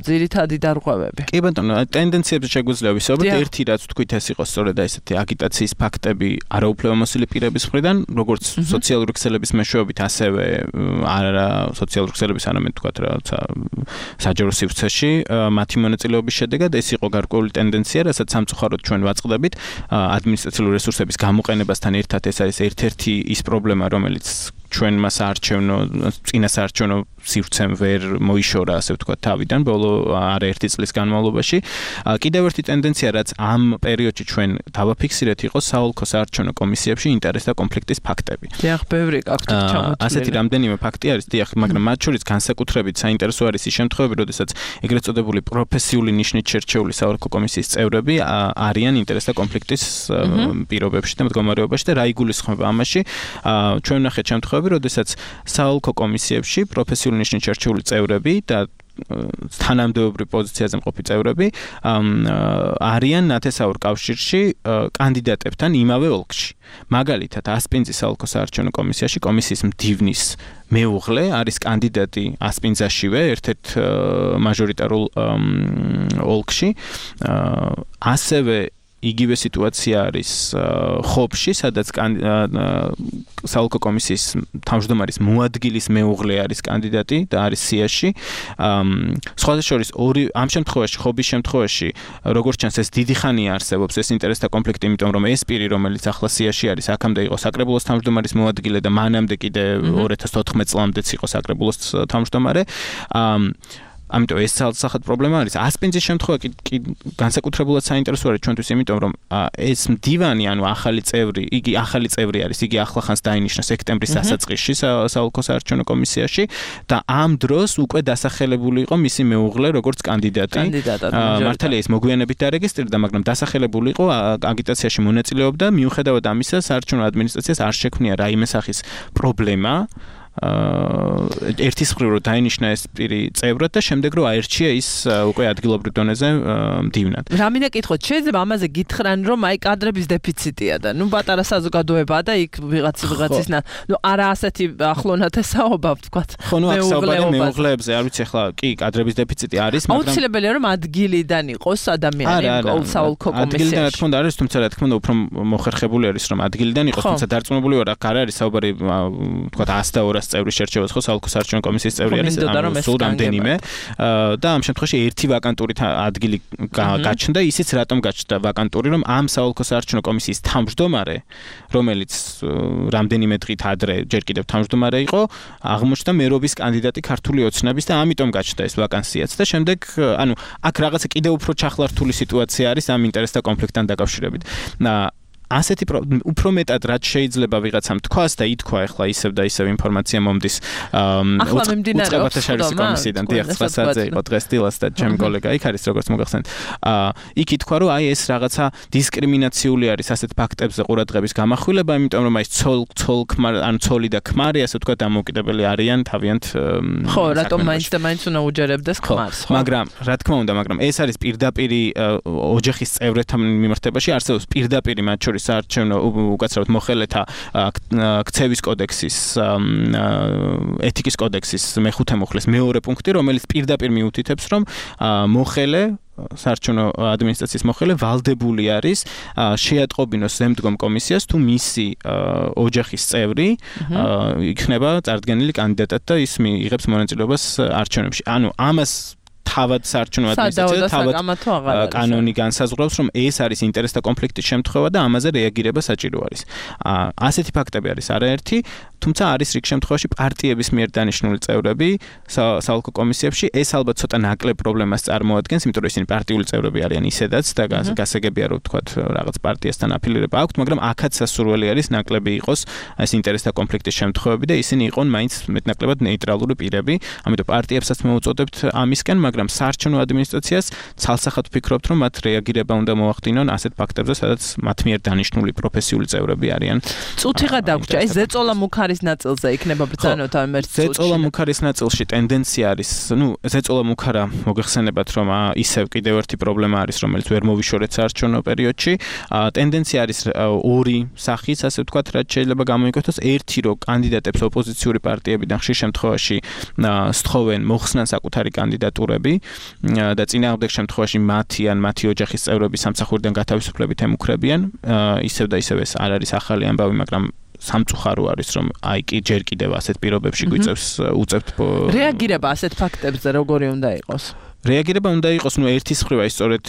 ძირითადი დარღვევები. კი ბატონო, ტენდენციებზე შეგვიძლია ვისაუბროთ. ერთი რაც თქვით ეს იყო სწორედ ესეთი აგიტაციის ფაქტები არაუფლებამოსილი პირების მხრიდან, როგორც სოციალური ქსელების მეშვეობით, ასევე არა სოციალური ქსელების არამედ თქვათ რაცა საჯარო სივრცეში მათი მონაწილეობის შედეგად ეს იყო გარკვეული ტენდენცია, რასაც სამწუხაროდ ჩვენ ვაწყდებით ადმინისტრაციული რესურსების გამოყენებასთან ერთად. ეს არის ერთ-ერთი ის პრობლემა, რომელიც ჩვენმა წინასაარჩევნო სივრცემ ვერ მოიშორა, ასე ვთქვათ, თავიდან ბოლო არაერთი წლის განმავლობაში. კიდევ ერთი ტენდენცია, რაც ამ პერიოდში ჩვენ დავაფიქსირეთ, იყო საოლქო საარჩევნო კომისიებში ინტერესთა კონფლიქტის ფაქტები. დიახ, ბევრი აქვთ ჩამოთვლილი. ასეთი რამდენიმე ფაქტი არის, დიახ, მაგრამ მათ შორის განსაკუთრებით საინტერესო არის ის შემთხვევები, როდესაც ეგრეთ წოდებული პროფესიული ნიშნით შერჩეული საოლქო კომისიის წევრები არიან ინტერესთა კონფლიქტის პირობებში და მდგომარეობაში და რა იგულისხმება ამაში. ჩვენ ვნახეთ შემთხვევები, როდესაც საოლქო კომისიებში პროფესიული ნიშნით შერჩეული წევრები და თანამდებობრივ პოზიციაზე მყოფი წევრები არიან ნათესაურ კავშირში კანდიდატებთან იმავე ოლქში. მაგალითად, ასპინძის საოლქო საარჩევნო კომისიაში კომისიის მდივნის მეუღლე არის კანდიდატი ასპინძაშივე, ერთ-ერთ მაჟორიტარულ ოლქში. ასევე იგივე სიტუაცია არის ხობში, სადაც საოლქო კომისიის თავმჯდომარის მოადგილის მეუღლე არის კანდიდატი და არის სიაში. სხვათა შორის ამ შემთხვევაში, ხობის შემთხვევაში, როგორც ჩანს, ეს დიდი ხანია არსებობს ეს ინტერესთა კონფლიქტი, იმიტომ რომ ეს პირი, რომელიც ახლა სიაში არის, აქამდე იყო საკრებულოს თავმჯდომარის მოადგილე და მანამდე კიდე 2014 წლამდეც იყო საკრებულოს თავმჯდომარე. ამიტომ ეს ცალსახად პრობლემა არის. ასპინძის შემთხვევა კი განსაკუთრებულად საინტერესო არის ჩვენთვის, იმიტომ რომ ეს მდივანი, ანუ ახალი წევრი არის, იგი ახლახანს დაინიშნა სექტემბრის დასაწყისში საოლქო საარჩევნო კომისიაში და ამ დროს უკვე დასახელებული იყო მისი მეუღლე როგორც კანდიდატი. მართალია ის მოგვიანებით დარეგისტრირდა, მაგრამ დასახელებული იყო, აგიტაციაში მონაწილეობდა, მიუხედავად ამისა, საარჩევნო ადმინისტრაციას არ შექმნია რაიმე სახის პრობლემა. ერთის მხრივ რომ დაინიშნა ეს პირი წევრად და შემდეგ რომ აერჩია ის უკვე ადგილობრივ დონეზე მდივნად. რა მინდა კითხოთ, შეიძლება ამაზე გითხრან, რომ აი კადრების დეფიციტია და ნუ პატარა საზოგადოებაა და იქ ვიღაცის არა ასეთი ახლონათესაობა ვთქვათ. ხო, ნუ აქ საუბარია მეუღლეებზე, არ ვიცი ახლა კი კადრების დეფიციტი არის, მაგრამ აუცილებელია რომ ადგილიდან იყოს ადამიანი საოლქო კომისიაში. ადგილიდან რა თქმა უნდა არის, თუმცა რა თქმა უნდა უფრო მოხერხებული არის რომ ადგილიდან იყოს, თუმცა დარწმუნებული ვარ, აქ არ არის საუბარი ვთქვათ 100 და 200 წევრის შერჩევას, ხო, საოლქო საარჩევნო კომისიის წევრი არის, სულ რამდენიმე და ამ შემთხვევაში ერთი ვაკანტური ადგილი გაჩნდა, ისიც რატომ გაჩნდა ვაკანტური, რომ ამ საოლქო საარჩევნო კომისიის თავმჯდომარე, რომელიც რამდენიმე დღით ადრე ჯერ კიდევ თავმჯდომარე იყო, აღმოჩნდა მერობის კანდიდატი ქართული ოცნების და ამიტომ გაჩნდა ეს ვაკანსიაც და შემდეგ, ანუ აქ რაღაცა კიდევ უფრო ჩახლართული სიტუაცია არის ამ ინტერესთა კონფლიქტთან დაკავშირებით. ასეთი უფრო მეტად რაც შეიძლება ვიღაცამ თქვას და ითქვა ახლა ისევ და ისევ ინფორმაცია მომდის უწყებათა შარისი კომისიიდან დიახ 9 საათზე იყო დღეს დილას და ჩემი კოლეგა იქ არის როგორც მოგახსენეთ იქ ითქვა რომ აი ეს რაღაცა დისკრიმინაციული არის ასეთ ფაქტებზე ყურადღების გამახვილება იმიტომ რომ აი ცოლი და ქმარი ასე ვთქვა დამოუკიდებელი არიან თავიანთ ხო რატომ მაინც უნდა უჯერებდეს ქმარს ხო მაგრამ რა თქმა უნდა მაგრამ ეს არის პირდაპირი ოჯახის წევრებთან მიმართებაში არსებობს პირდაპირი მათ შორის საარჩევნო უკაცრავად მოხელეთა ქცევის კოდექსის ეთიკის კოდექსის მეხუთე მუხლის მეორე პუნქტი რომელიც პირდაპირ მიუთითებს რომ მოხელე საარჩევნო ადმინისტრაციის მოხელე ვალდებული არის შეატყობინოს ზემდგომ კომისიას თუ მისი ოჯახის წევრი იქნება წარდგენილი კანდიდატად და ის იღებს მონაწილეობას არჩევნებში ანუ ამას თავად საარჩევნო ადმინისტრაცია თავად კანონი განსაზღვრავს, რომ ეს არის ინტერესთა კონფლიქტის შემთხვევა და ამაზე რეაგირება საჭირო არის. ასეთი ფაქტები არის არაერთი, თუმცა არის რიგ შემთხვევაში პარტიების მიერ დანიშნული წევრები საოლქო კომისიებში, ეს ალბათ ცოტა ნაკლებ პრობლემას წარმოადგენს, იმიტომ რომ ისინი პარტიული წევრები არიან ისედაც და გასაგებია რომ ვთქვათ რაღაც პარტიასთან აფილირება აქვთ, მაგრამ აქაც სასურველი არის ნაკლები იყოს ეს ინტერესთა კონფლიქტის შემთხვევები და ისინი იყვნენ მაინც მეტნაკლებად ნეიტრალური პირები, ამიტომ პარტიებსაც მოუწოდებთ ამისკენ, მაგრამ საარჩევნო ადმინისტრაციას ცალსახად ვფიქრობთ, რომ მათ რეაგირება უნდა მოახდინონ ასეთ ფაქტებზე, სადაც მათ მიერ დანიშნული პროფესიული წევრები არიან. წუთიღა დაგვრჩა, ეს ზეწოლა მუქარის ნაწილზე იქნება ბრძანოთ ამ ერთ წუთში. ზეწოლა მუქარის ნაწილში ტენდენცია არის, ზეწოლა მუქარა მოგეხსენებათ, რომ ისევ კიდევ ერთი პრობლემა არის, რომელიც ვერ მოვიშორეთ საარჩევნო პერიოდში. ტენდენცია არის ორი სახის, ასე ვთქვათ, რაც შეიძლება გამოიკვეთოს. ერთი, რომ კანდიდატებს ოპოზიციური პარტიებიდან ხშირ შემთხვევაში სთხოვენ მოხსნან საკუთარი კანდიდატურები და წინააღმდეგ შემთხვევაში მათი ან მათი ოჯახის წევრები სამსახურიდან გათავისუფლებით ემუქრებიან. ისევ და ისევ ეს არ არის ახალი ამბავი, მაგრამ სამწუხარო არის, რომ აი კი ჯერ კიდევ ასეთ პირობებში უწევთ რეაგირება ასეთ ფაქტებზე როგორი უნდა იყოს? რეაგირება უნდა იყოს, ერთის მხრივ აი სწორედ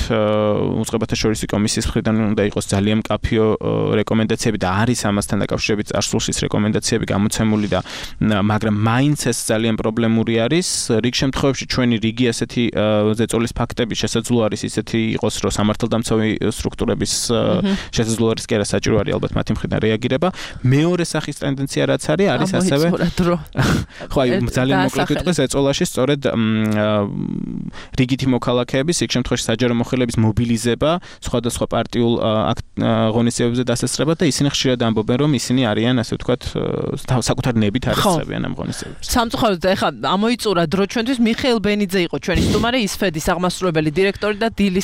უწყებათა შორისი კომისიის მხრიდან უნდა იყოს ძალიან მკაფიო რეკომენდაციები და არის ამასთან დაკავშირებით წარსულშიც რეკომენდაციები გამოცემული და მაგრამ მაინც ეს ძალიან პრობლემური არის. რიგ შემთხვევებში ჩვენი რიგი ასეთი ზეწოლის ფაქტები შესაძლოა არის ისეთი იყოს, რომ სამართალდამცავი სტრუქტურების შესაძლოა არის კი არა საჭირო არის ალბათ მათი მხრიდან რეაგირება. მეორე სახის ტენდენცია რაც არის ასევე ხო აი ძალიან მოკლედ ვიტყვი ზეწოლაში სწორედ რიგითი მოქალაქეების, იქ შემთხვევაში საჯარო მოხელეების მობილიზება სხვადასხვა პარტიულ ღონისძიებებზე დასასწრება და ისინი ხშირად ამბობენ, რომ ისინი არიან, ასე ვთქვათ, საკუთარი ნებით არისწრებიან ამ ღონისძიებებს. სამწუხაროდ ეხლა ამოიწურა დრო ჩვენთვის მიხეილ ბენიძე იყო ჩვენი სტუმარი, ის ფედის აღმასრულებელი დირექტორი და დილის